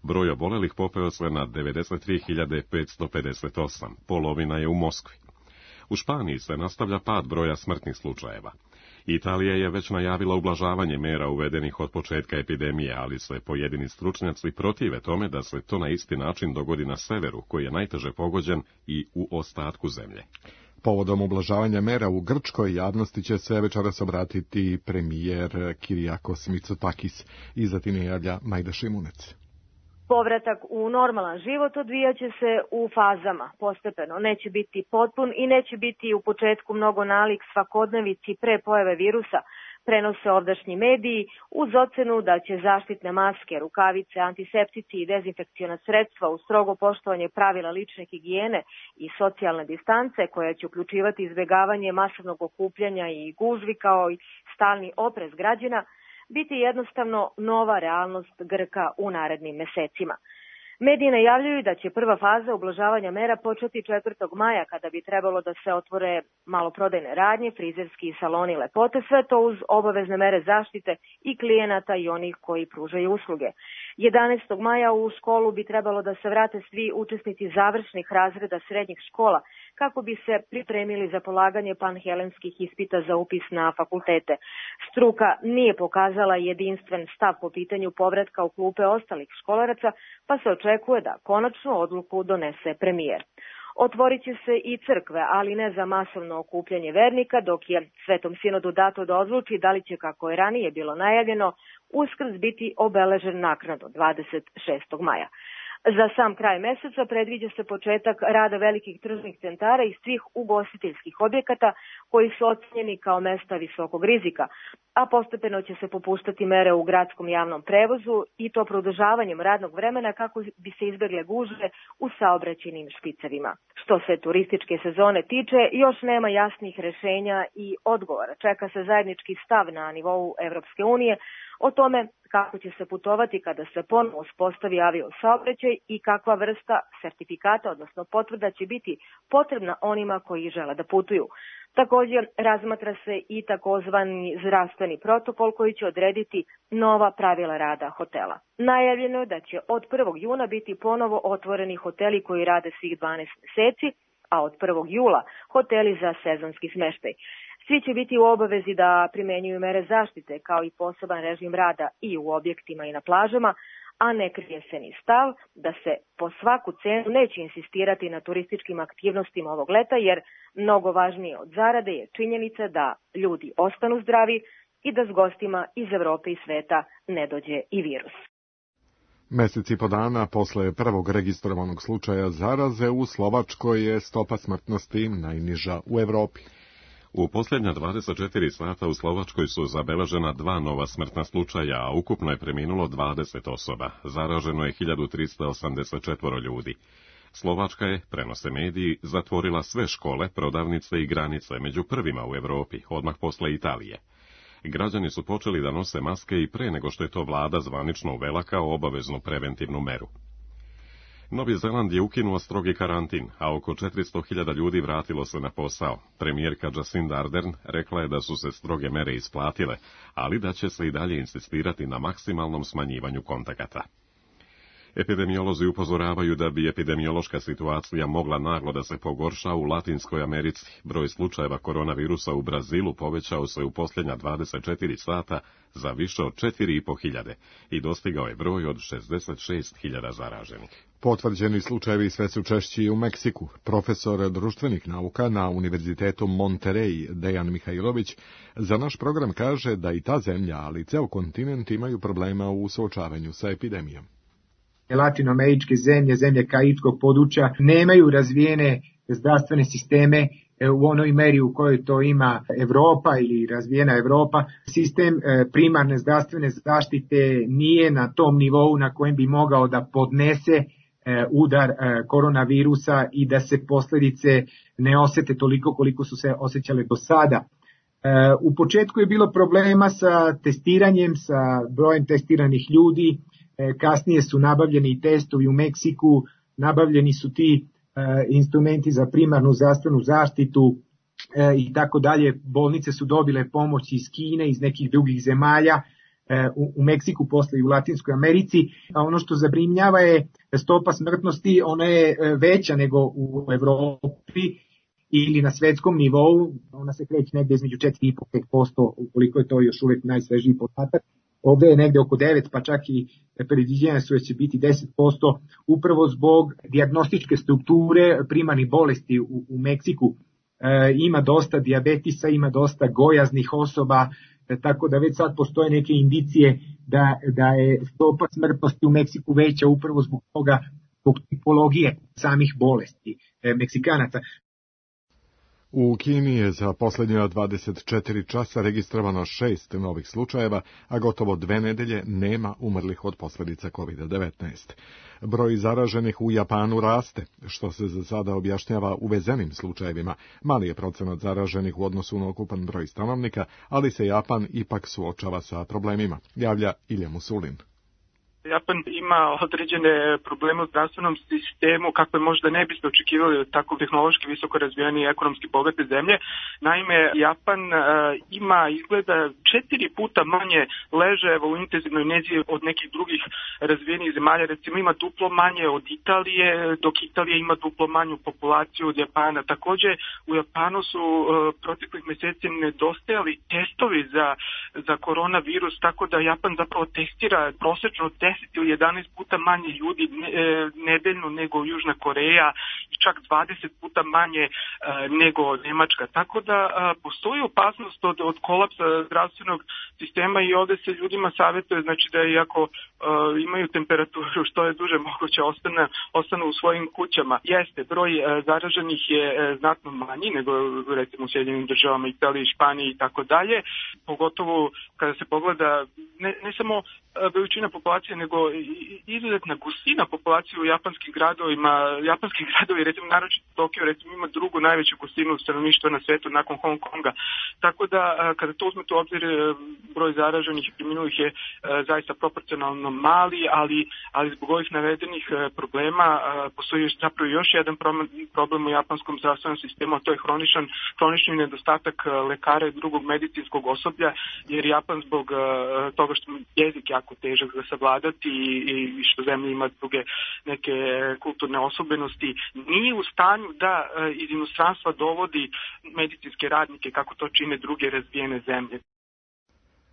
Broj obolelih popeo se na devedeset tri hiljade petsto pedeset osam. Polovina je u Moskvi. U Španiji se nastavlja pad broja smrtnih slučajeva. Italija je već najavila ublažavanje mera uvedenih od početka epidemije, ali se pojedini stručnjaci protive tome da se to na isti način dogodi na severu, koji je najteže pogođen, i u ostatku zemlje. Povodom ublažavanja mera u Grčkoj javnosti će se večeras obratiti premijer Kyriakos Mitsotakis. Iza time javlja Majda Šimunec. Povratak u normalan život odvijaće se u fazama, postepeno. Neće biti potpun i neće biti u početku mnogo nalik svakodnevici pre pojave virusa, prenose ovdašnji mediji, uz ocenu da će zaštitne maske, rukavice, antiseptici i dezinfekciona sredstva uz strogo poštovanje pravila lične higijene i socijalne distance, koja će uključivati izbjegavanje masovnog okupljanja i gužvi kao i stalni oprez građana, biti jednostavno nova realnost Grka u narednim mesecima. Mediji najavljuju da će prva faza ublažavanja mera početi četvrtog maja, kada bi trebalo da se otvore maloprodajne radnje, frizerski i saloni lepote, sve to uz obavezne mere zaštite i klijenata i onih koji pružaju usluge. jedanaestog maja u školu bi trebalo da se vrate svi učesnici završnih razreda srednjih škola, kako bi se pripremili za polaganje panhelenskih ispita za upis na fakultete. Struka nije pokazala jedinstven stav po pitanju povratka u klupe ostalih školaraca, pa se očekuje da konačnu odluku donese premijer. Otvorit će se i crkve, ali ne za masovno okupljanje vernika, dok je Svetom sinodu dato da odluči da li će, kako je ranije bilo najavljeno, Uskrs biti obeležen naknadno dvadeset šestog maja. Za sam kraj meseca predviđa se početak rada velikih tržnih centara i svih ugostiteljskih objekata koji su ocenjeni kao mesta visokog rizika, a postepeno će se popuštati mere u gradskom javnom prevozu i to produžavanjem radnog vremena kako bi se izbegle gužve u saobraćajnim špicevima. Što se turističke sezone tiče, još nema jasnih rešenja i odgovora. Čeka se zajednički stav na nivou Evropske unije o tome kako će se putovati kada se ponovo uspostavi avio saobraćaj i kakva vrsta sertifikata, odnosno potvrda, će biti potrebna onima koji žele da putuju. Također razmatra se i takozvani zdravstveni protokol koji će odrediti nova pravila rada hotela. Najavljeno je da će od prvog juna biti ponovo otvoreni hoteli koji rade svih dvanaest meseci, a od prvog jula hoteli za sezonski smeštaj. Svi će biti u obavezi da primenjuju mere zaštite, kao i poseban režim rada i u objektima i na plažama, a ne krije se ni stav da se po svaku cenu neće insistirati na turističkim aktivnostima ovog leta, jer mnogo važnije od zarade je činjenica da ljudi ostanu zdravi i da s gostima iz Evrope i sveta ne dođe i virus. Mesec i po dana posle prvog registrovanog slučaja zaraze u Slovačkoj je stopa smrtnosti najniža u Evropi. U posljednja dvadeset četiri sata u Slovačkoj su zabeležena dva nova smrtna slučaja, a ukupno je preminulo dvadeset osoba. Zaraženo je hiljadu trista osamdeset četiri ljudi. Slovačka je, prenose mediji, zatvorila sve škole, prodavnice i granice, među prvima u Evropi, odmah posle Italije. Građani su počeli da nose maske i pre nego što je to vlada zvanično uvela kao obaveznu preventivnu meru. Novi Zeland je ukinuo strogi karantin, a oko četiristo hiljada ljudi vratilo se na posao. Premijerka Jacinda Ardern rekla je da su se stroge mere isplatile, ali da će se i dalje insistirati na maksimalnom smanjivanju kontakata. Epidemiolozi upozoravaju da bi epidemiološka situacija mogla naglo da se pogorša u Latinskoj Americi. Broj slučajeva koronavirusa u Brazilu povećao se u posljednja dvadeset četiri sata za više od četiri i po hiljade i dostigao je broj od šezdeset šest hiljada zaraženih. Potvrđeni slučajevi sve su češći u Meksiku. Profesor društvenih nauka na Univerzitetu Monterey, Dejan Mihajlović, za naš program kaže da i ta zemlja, ali i ceo kontinent imaju problema u suočavanju sa epidemijom. Latinoameričke zemlje, zemlje karibiskog područja nemaju razvijene zdravstvene sisteme u onoj meri u kojoj to ima Evropa ili razvijena Evropa. Sistem primarne zdravstvene zaštite nije na tom nivou na kojem bi mogao da podnese udar koronavirusa i da se posljedice ne osete toliko koliko su se osjećale do sada. U početku je bilo problema sa testiranjem, sa brojem testiranih ljudi, kasnije su nabavljeni testovi u Meksiku, nabavljeni su ti instrumenti za primarnu zdravstvenu zaštitu i tako dalje. Bolnice su dobile pomoć iz Kine, iz nekih drugih zemalja, u Meksiku, posle i u Latinskoj Americi. A ono što zabrinjava je stopa smrtnosti, ona je veća nego u Evropi ili na svetskom nivou, ona se kreće negde između četiri i po do pet posto, ukoliko je to još uvek najsvežiji podatak. Ovde je negde oko devet, pa čak i predviđenja su da će biti deset posto, upravo zbog dijagnostičke strukture primarnih bolesti u, u Meksiku. E, ima dosta dijabetisa, ima dosta gojaznih osoba, e, tako da već sad postoje neke indicije da, da je stopa smrtnosti u Meksiku veća upravo zbog toga, zbog tipologije samih bolesti e, Meksikanaca. U Kini je za posljednja dvadeset četiri časa registrovano šest novih slučajeva, a gotovo dve nedelje nema umrlih od posljedica kovid devetnaest. Broj zaraženih u Japanu raste, što se za sada objašnjava uvezenim slučajevima. Mali je procenat zaraženih u odnosu na ukupan broj stanovnika, ali se Japan ipak suočava sa problemima, javlja Ilja Musulin. Japan ima određene probleme u zdravstvenom sistemu kakve možda ne biste očekivali od tako tehnološki visoko razvijene i ekonomski bogate zemlje. Naime, Japan uh, ima izgleda četiri puta manje ležajeva u intenzivnoj nezi od nekih drugih razvijenih zemalja. Recimo ima duplo manje od Italije, dok Italija ima duplo manju populaciju od Japana. Takođe, u Japanu su uh, proteklih meseci nedostajali testovi za, za koronavirus, tako da Japan zapravo testira prosečno deset ili jedanaest puta manje ljudi nedeljno nego Južna Koreja i čak dvadeset puta manje nego Nemačka. Tako da postoji opasnost od, od kolapsa zdravstvenog sistema i ovde se ljudima savjetuje, znači da iako imaju temperaturu što je duže moguće ostane, ostanu u svojim kućama. Jeste, broj zaraženih je znatno manji nego recimo u Sjedinjenim Državama, Italiji, Španiji i tako dalje. Pogotovo kada se pogleda ne, ne samo veličina populacije, nego izuzetna gustina populacije u japanskim gradovima. Japanski gradovi, recimo naročito Tokio, recimo ima drugu najveću gustinu stanovništva na svetu nakon Hong Konga. Tako da kada to uzmete u obzir, broj zaraženih i preminulih je zaista proporcionalno mali, ali, ali zbog ovih navedenih problema postoji zapravo još jedan problem u japanskom zdravstvenom sistemu, a to je hroničan, hronični nedostatak lekara i drugog medicinskog osoblja, jer Japan zbog toga što jezik jako težak za savladati i, i što zemlja ima druge neke kulturne osobenosti, nije u stanju da iz inostranstva dovodi medicinske radnike kako to čine druge razvijene zemlje.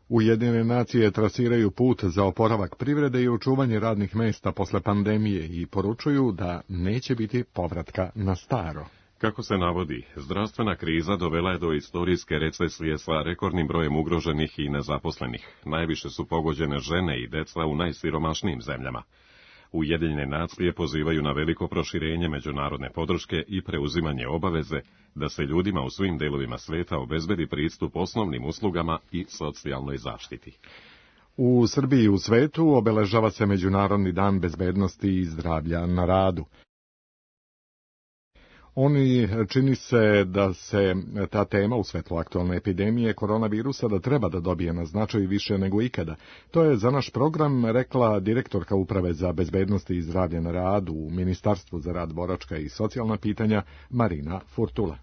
Ujedinjene nacije trasiraju put za oporavak privrede i očuvanje radnih mesta posle pandemije i poručuju da neće biti povratka na staro. Kako se navodi, zdravstvena kriza dovela je do istorijske recesije sa rekordnim brojem ugroženih i nezaposlenih. Najviše su pogođene žene i deca u najsiromašnijim zemljama. Ujedinjene nacije pozivaju na veliko proširenje međunarodne podrške i preuzimanje obaveze da se ljudima u svim delovima sveta obezbedi pristup osnovnim uslugama i socijalnoj zaštiti. U Srbiji i u svetu obeležava se Međunarodni dan bezbednosti i zdravlja na radu. Oni čini se da se ta tema u svetlu aktualne epidemije koronavirusa da treba da dobije na značaju više nego ikada. To je za naš program rekla direktorka Uprave za bezbednost i zdravlje na radu u Ministarstvu za rad, boračka i socijalna pitanja Marina Furtula.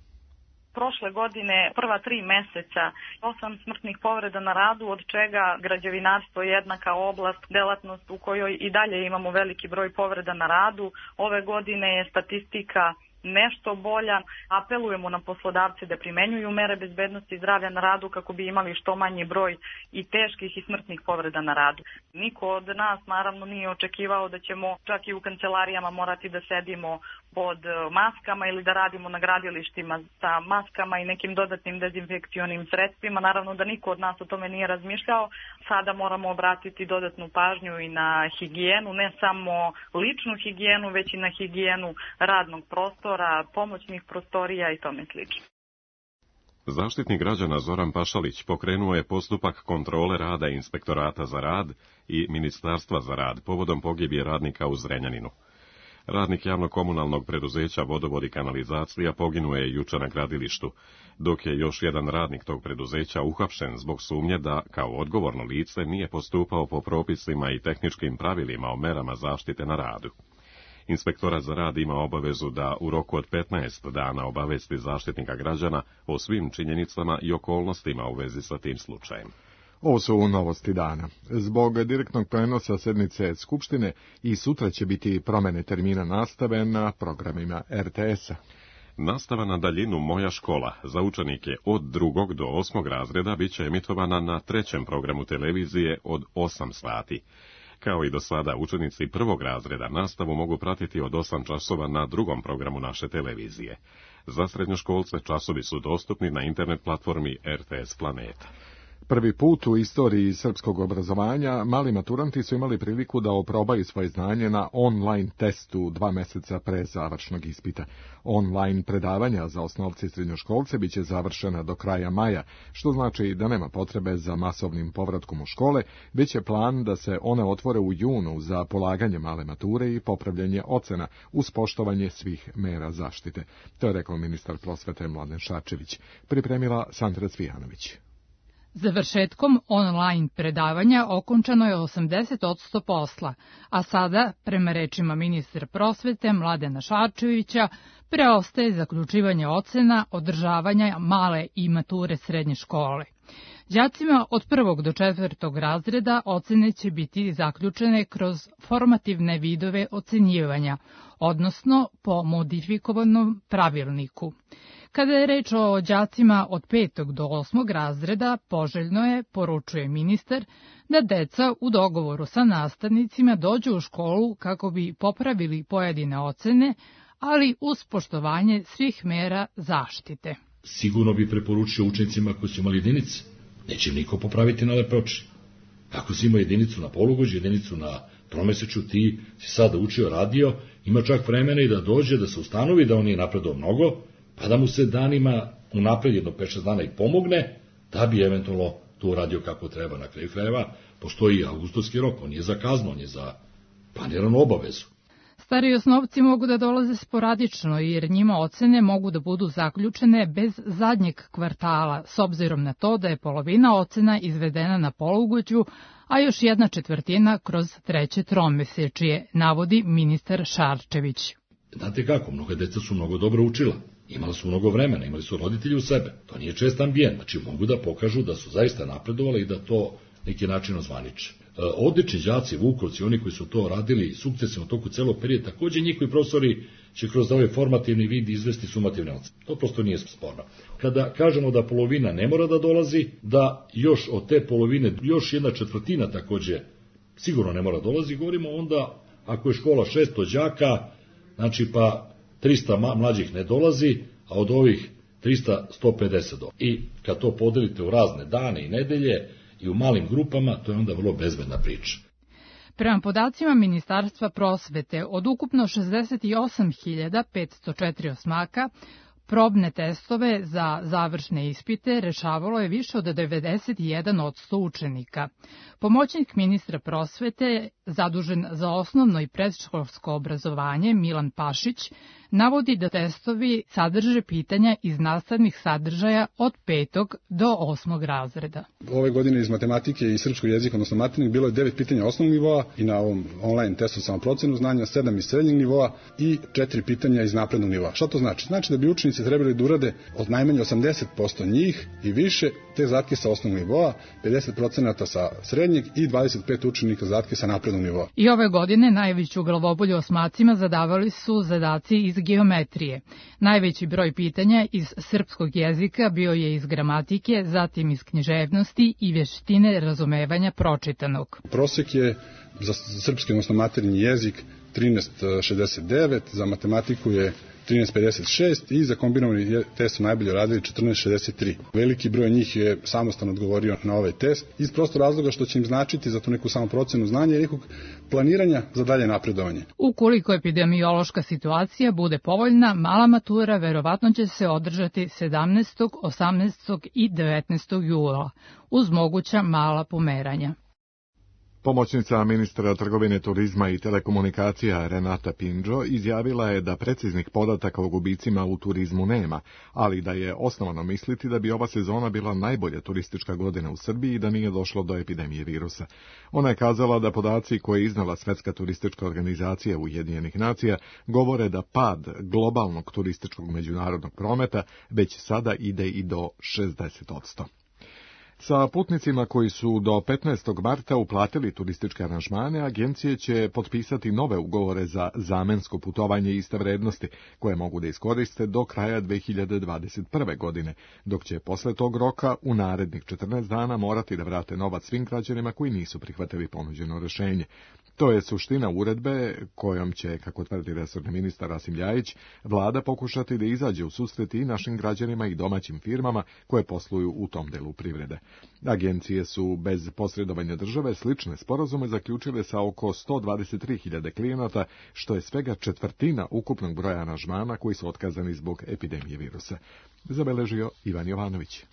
Prošle godine, prva tri meseca, osam smrtnih povreda na radu, od čega građevinarstvo je jednaka oblast, delatnost u kojoj i dalje imamo veliki broj povreda na radu. Ove godine je statistika nešto bolja. Apelujemo na poslodavce da primenjuju mere bezbednosti i zdravlja na radu kako bi imali što manji broj i teških i smrtnih povreda na radu. Niko od nas naravno nije očekivao da ćemo čak i u kancelarijama morati da sedimo pod maskama ili da radimo na gradilištima sa maskama i nekim dodatnim dezinfekcionim sredstvima. Naravno da niko od nas o tome nije razmišljao. Sada moramo obratiti dodatnu pažnju i na higijenu, ne samo ličnu higijenu, već i na higijenu radnog prostora, pomoćnih prostorija i tome slično. Zaštitnik građana Zoran Pašalić pokrenuo je postupak kontrole rada Inspektorata za rad i Ministarstva za rad povodom pogibije radnika u Zrenjaninu. Radnik javno-komunalnog preduzeća Vodovod i kanalizacija poginuo je juče na gradilištu, dok je još jedan radnik tog preduzeća uhapšen zbog sumnje da, kao odgovorno lice, nije postupao po propisima i tehničkim pravilima o merama zaštite na radu. Inspektorat za rad ima obavezu da u roku od petnaest dana obavesti zaštitnika građana o svim činjenicama i okolnostima u vezi sa tim slučajem. Ovo su novosti dana. Zbog direktnog prenosa sednice Skupštine i sutra će biti promene termina nastave na programima er te esa. Nastava na daljinu Moja škola za učenike od drugog do osmog razreda bit će emitovana na trećem programu televizije od osam sati. Kao i do sada, učenici prvog razreda nastavu mogu pratiti od osam časova na drugom programu naše televizije. Za srednjoškolce časovi su dostupni na internet platformi er te es Planeta. Prvi put u istoriji srpskog obrazovanja mali maturanti su imali priliku da oprobaju svoje znanje na online testu dva meseca pre završnog ispita. Online predavanja za osnovce i srednjoškolce biće završena do kraja maja, što znači da nema potrebe za masovnim povratkom u škole, već je plan da se one otvore u junu za polaganje male mature i popravljanje ocena uz poštovanje svih mera zaštite. To je rekao ministar prosvete Mladen Šarčević. Pripremila Sandra Cvijanović. Završetkom online predavanja okončano je osamdeset posto posla, a sada, prema rečima ministra prosvete Mladena Šarčevića, preostaje zaključivanje ocena, održavanja male i mature srednje škole. Đacima od prvog do četvrtog razreda ocene će biti zaključene kroz formativne vidove ocenjivanja, odnosno po modifikovanom pravilniku. Kada je reč o đacima od petog do osmog razreda, poželjno je, poručuje ministar, da deca u dogovoru sa nastavnicima dođu u školu kako bi popravili pojedine ocene, ali uz poštovanje svih mera zaštite. Sigurno bi preporučio učenicima koji su imali jedinice. Neće niko popraviti na lepe oči. Ako si imao jedinicu na polugođu, jedinicu na tromesečju, ti si sada učio, radio, ima čak vremena i da dođe, da se ustanovi da on nije napredao mnogo, pa da mu se danima unapred jedno pet šest dana i pomogne, da bi eventualno to uradio kako treba. Na kraju krajeva postoji avgustovski rok, on je za kaznu, on je za planiranu obavezu. Stari osnovci mogu da dolaze sporadično, jer njima ocene mogu da budu zaključene bez zadnjeg kvartala, s obzirom na to da je polovina ocena izvedena na polugođu, a još jedna četvrtina kroz treće tromesečje, navodi ministar Šarčević. Znate kako, mnoga deca su mnogo dobro učila. Imali su mnogo vremena, imali su roditelji u sebe. To nije čest ambijent, znači mogu da pokažu da su zaista napredovali i da to neki način ozvaniče. Odlični đaci, vukovci, oni koji su to radili sukcesivno u toku celog perioda, takođe njihovi profesori će kroz ovaj formativni vid izvesti sumativne ocene. To prosto nije sporno. Kada kažemo da polovina ne mora da dolazi, da još od te polovine, još jedna četvrtina takođe sigurno ne mora dolazi, govorimo onda ako je škola šesto đaka, znači pa trista mlađih ne dolazi, a od ovih trista sto pedeset dolazi. I kad to podelite u razne dane i nedelje i u malim grupama, to je onda vrlo bezbedna priča. Prema podacima Ministarstva prosvete, od ukupno šezdeset osam hiljada petsto četiri osmaka, probne testove za završne ispite rešavalo je više od devedeset jedan posto učenika. Pomoćnik ministra prosvete, zadužen za osnovno i predškolsko obrazovanje, Milan Pašić, navodi da testovi sadrže pitanja iz nastavnih sadržaja od petog do osmog razreda. Ove godine iz matematike i srpskog jezika, odnosno matematik, bilo je devet pitanja osnovnog nivoa i na ovom online testu samoprocenu znanja, sedam iz srednjeg nivoa i četiri pitanja iz naprednog nivoa. Šta to znači? Znači da bi učenici trebali da urade od najmanje osamdeset posto njih i više te zadatke sa osnovnog nivoa, pedeset procenata sa srednjeg i dvadeset pet učenika zadatke sa naprednog nivoa. I ove godine najveću glavobolju osmacima zadavali su zadaci iz geometrije. Najveći broj pitanja iz srpskog jezika bio je iz gramatike, zatim iz književnosti i vještine razumevanja pročitanog. Prosek je za srpski, odnosno maternji jezik, trinaest šezdeset devet, za matematiku je trinaest pedeset šest i za kombinovani test su najbolje radili četrnaest šezdeset tri. Veliki broj njih je samostalno odgovorio na ovaj test iz prosto razloga što će im značiti za tu neku samoprocenu znanja i nekog planiranja za dalje napredovanje. Ukoliko epidemiološka situacija bude povoljna, mala matura verovatno će se održati sedamnaestog, osamnaestog i devetnaestog jula, uz moguća mala pomeranja. Pomoćnica ministra trgovine, turizma i telekomunikacija Renata Pinđo izjavila je da preciznih podataka o gubicima u turizmu nema, ali da je osnovano misliti da bi ova sezona bila najbolja turistička godina u Srbiji i da nije došlo do epidemije virusa. Ona je kazala da podaci koje je iznala Svetska turistička organizacija Ujedinjenih nacija govore da pad globalnog turističkog međunarodnog prometa već sada ide i do šezdeset posto. Sa putnicima koji su do petnaestog marta uplatili turističke aranžmane, agencije će potpisati nove ugovore za zamensko putovanje iste vrednosti, koje mogu da iskoriste do kraja dve hiljade dvadeset prve. godine, dok će posle tog roka u narednih četrnaest dana morati da vrate novac svim građanima koji nisu prihvatili ponuđeno rešenje. To je suština uredbe kojom će, kako tvrdi resorni ministar Rasim Ljajić, vlada pokušati da izađe u susret i našim građanima i domaćim firmama koje posluju u tom delu privrede. Agencije su bez posredovanja države slične sporazume zaključile sa oko sto dvadeset tri hiljade klijenata, što je svega četvrtina ukupnog broja aranžmana koji su otkazani zbog epidemije virusa. Zabeležio Ivan Jovanović.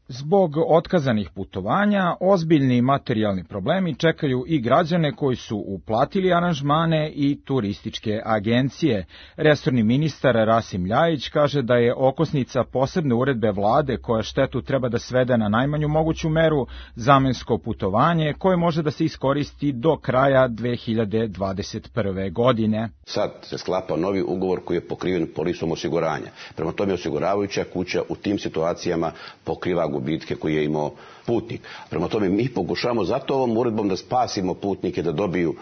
Zbog otkazanih putovanja, ozbiljni materijalni problemi čekaju i građane koji su uplatili aranžmane i turističke agencije. Resorni ministar Rasim Ljajić kaže da je okosnica posebne uredbe vlade koja štetu treba da svede na najmanju moguću meru zamensko putovanje koje može da se iskoristi do kraja dve hiljade dvadeset prve. godine. Sad se sklapa novi ugovor koji je pokriven polisom osiguranja. Prema tome osiguravajuća kuća u tim situacijama pokriva gubitke koje je imao putnik. Prema tome mi pokušamo zato ovom uredbom da spasimo putnike da dobiju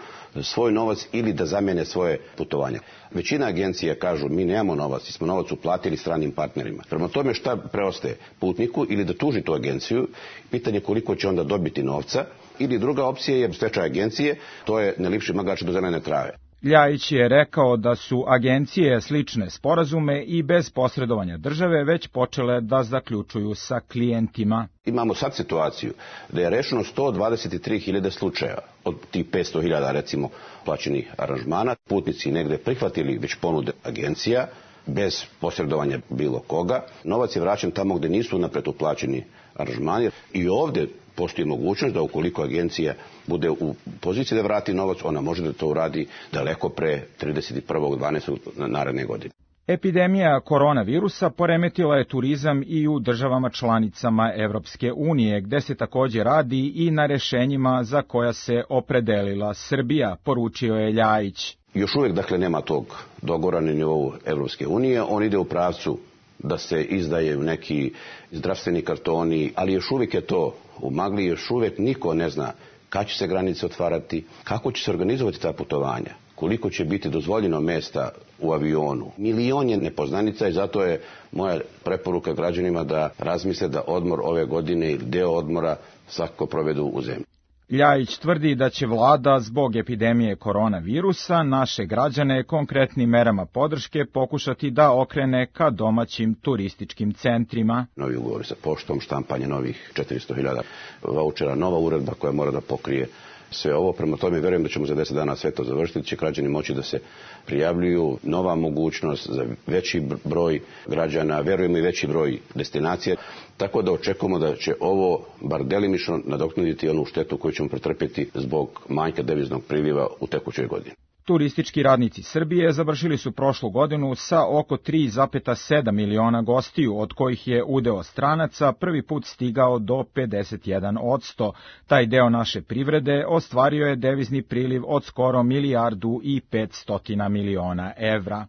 svoj novac ili da zamene svoje putovanja. Većina agencija kažu mi nemamo novac, mi smo novac uplatili stranim partnerima. Prema tome šta preostaje putniku ili da tuži tu agenciju, pitanje koliko će onda dobiti novca, ili druga opcija je stečaj agencije, to je ne lipši magač do zelene trave. Ljajić je rekao da su agencije slične sporazume i bez posredovanja države već počele da zaključuju sa klijentima. Imamo sad situaciju da je rešeno sto dvadeset tri hiljade slučajeva od tih petsto hiljada recimo plaćenih aranžmana. Putnici negde prihvatili već ponude agencija bez posredovanja bilo koga. Novac je vraćen tamo gde nisu napred uplaćeni aranžmani i ovde postoji mogućnost da ukoliko agencija bude u poziciji da vrati novac, ona može da to uradi daleko pre trideset prvog decembra naredne godine. Epidemija koronavirusa poremetila je turizam i u državama članicama Evropske unije, gde se takođe radi i na rešenjima za koja se opredelila Srbija, poručio je Ljajić. Još uvek, dakle, nema tog dogovora na nivou Evropske unije, on ide u pravcu da se izdaju neki zdravstveni kartoni, ali još uvijek je to u magli, još uvijek niko ne zna kad će se granice otvarati, kako će se organizovati ta putovanja, koliko će biti dozvoljeno mesta u avionu. Milion je nepoznanica i zato je moja preporuka građanima da razmisle da odmor ove godine ili deo odmora svakako provedu u zemlji. Ljajić tvrdi da će vlada zbog epidemije koronavirusa naše građane konkretnim merama podrške pokušati da okrene ka domaćim turističkim centrima. Novi ugovori sa poštom, štampanje novih četiristo hiljada vaučera, nova uredba koja mora da pokrije sve ovo. Prema tome verujem da ćemo za deset dana sve to završiti, će građani moći da se prijavljuju, nova mogućnost za veći broj građana, verujemo i veći broj destinacija, tako da očekujemo da će ovo bar delimično nadoknaditi onu štetu koju ćemo pretrpeti zbog manjka deviznog priliva u tekućoj godini. Turistički radnici Srbije završili su prošlu godinu sa oko tri zarez sedam miliona gostiju, od kojih je udeo stranaca prvi put stigao do pedeset jedan posto. Taj deo naše privrede ostvario je devizni priliv od skoro milijardu i petsto miliona evra.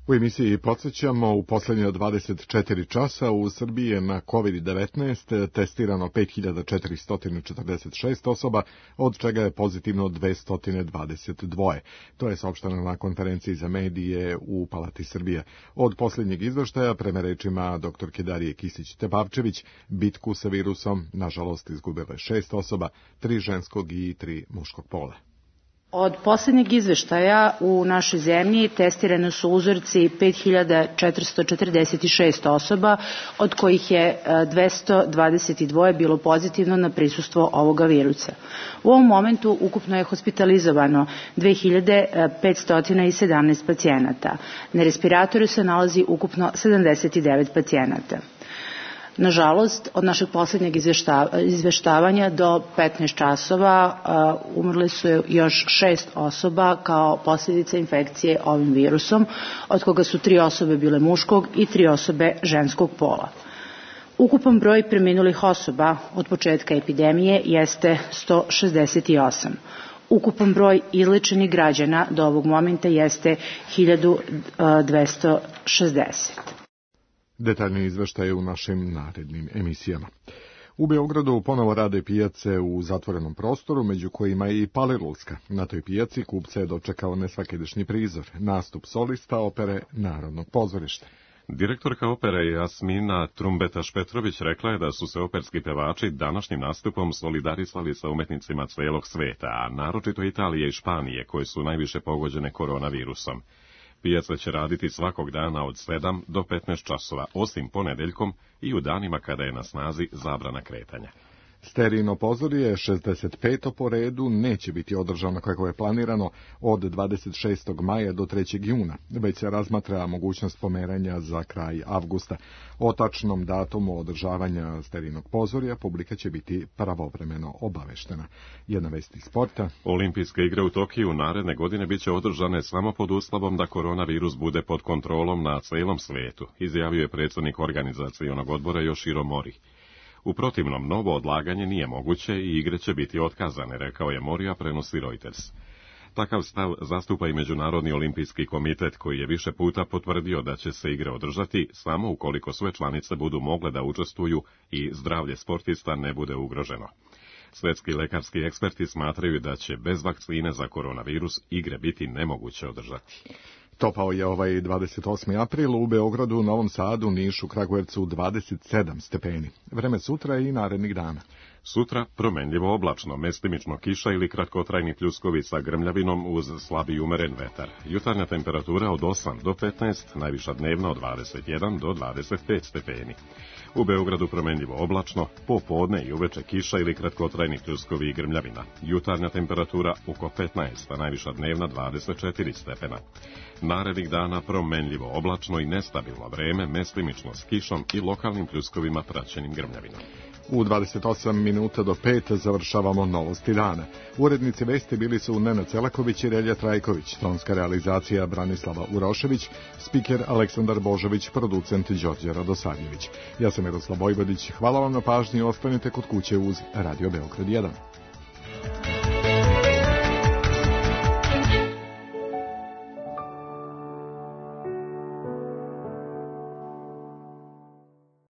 U emisiji podsjećamo, u poslednje dvadeset četiri časa u Srbiji je na kovid devetnaest testirano pet hiljada četiristo četrdeset šest osoba, od čega je pozitivno dvesta dvadeset dva. To je saopšteno na konferenciji za medije u Palati Srbije. Od posljednjeg izveštaja, prema rečima doktorke Darije Kisić-Tepavčević, bitku sa virusom, nažalost, izgubilo je šest osoba, tri ženskog i tri muškog pola. Od poslednjeg izveštaja u našoj zemlji testirane su uzorci pet hiljada četiristo četrdeset šest osoba, od kojih je dvesta dvadeset dva bilo pozitivno na prisustvo ovoga virusa. U ovom momentu ukupno je hospitalizovano dve hiljade petsto sedamnaest pacijenata. Na respiratoru se nalazi ukupno sedamdeset devet pacijenata. Nažalost, od našeg poslednjeg izveštavanja do petnaest časova umrle su još šest osoba kao posljedica infekcije ovim virusom, od koga su tri osobe bile muškog i tri osobe ženskog pola. Ukupan broj preminulih osoba od početka epidemije jeste sto šezdeset osam. Ukupan broj izlečenih građana do ovog momenta jeste hiljadu dvesta šezdeset. Detaljni izveštaj u našim narednim emisijama. U Beogradu ponovo rade pijace u zatvorenom prostoru, među kojima je i Palilulska. Na toj pijaci kupce je dočekao nesvakidašnji prizor, nastup solista opere Narodnog pozorišta. Direktorka opere Jasmina Trumbetaš-Petrović rekla je da su se operski pevači današnjim nastupom solidarisali sa umetnicima celog sveta, a naročito Italije i Španije, koje su najviše pogođene koronavirusom. Pijaca će raditi svakog dana od sedam do petnaest časova, osim ponedeljkom i u danima kada je na snazi zabrana kretanja. Sterijino pozorje, šezdeset peto po redu, neće biti održano kako je planirano od dvadeset šestog maja do trećeg juna, već se razmatra mogućnost pomeranja za kraj avgusta. O tačnom datumu održavanja Sterijinog pozorja publika će biti pravovremeno obaveštena. Jedna vest iz sporta. Olimpijske igre u Tokiju naredne godine biće održane samo pod uslovom da koronavirus bude pod kontrolom na celom svetu, izjavio je predsjednik organizacionog odbora Yoshiro Mori. U protivnom, novo odlaganje nije moguće i igre će biti otkazane, rekao je Mori, a prenosi Reuters. Takav stav zastupa i Međunarodni olimpijski komitet, koji je više puta potvrdio da će se igre održati samo ukoliko sve članice budu mogle da učestvuju i zdravlje sportista ne bude ugroženo. Svetski lekarski eksperti smatraju da će bez vakcine za koronavirus igre biti nemoguće održati. Topao je ovaj dvadeset osmi april u Beogradu, Novom Sadu, Nišu, Kragujevcu dvadeset sedam stepeni. Vreme sutra i narednih dana. Sutra promenljivo oblačno, mestimično kiša ili kratkotrajni pljuskovi sa grmljavinom uz slabi umeren vetar. Jutarnja temperatura od osam do petnaest, najviša dnevna od dvadeset jedan do dvadeset pet stepeni. U Beogradu promenljivo oblačno, popodne i uveče kiša ili kratkotrajni pljuskovi i grmljavina. Jutarnja temperatura oko petnaest, a najviša dnevna dvadeset četiri stepena. Narednih dana promenljivo oblačno i nestabilno vreme, mestimično s kišom i lokalnim pljuskovima praćenim grmljavinom. U dvadeset osam minuta do pet završavamo novosti dana. Urednici vesti bili su Nenad Celaković i Relja Trajković, tonska realizacija Branislava Urošević, spiker Aleksandar Božović, producent Đorđe Radosavljević. Ja sam Miroslav Vojvodić, hvala vam na pažnji i ostanite kod kuće uz Radio Beograd jedan.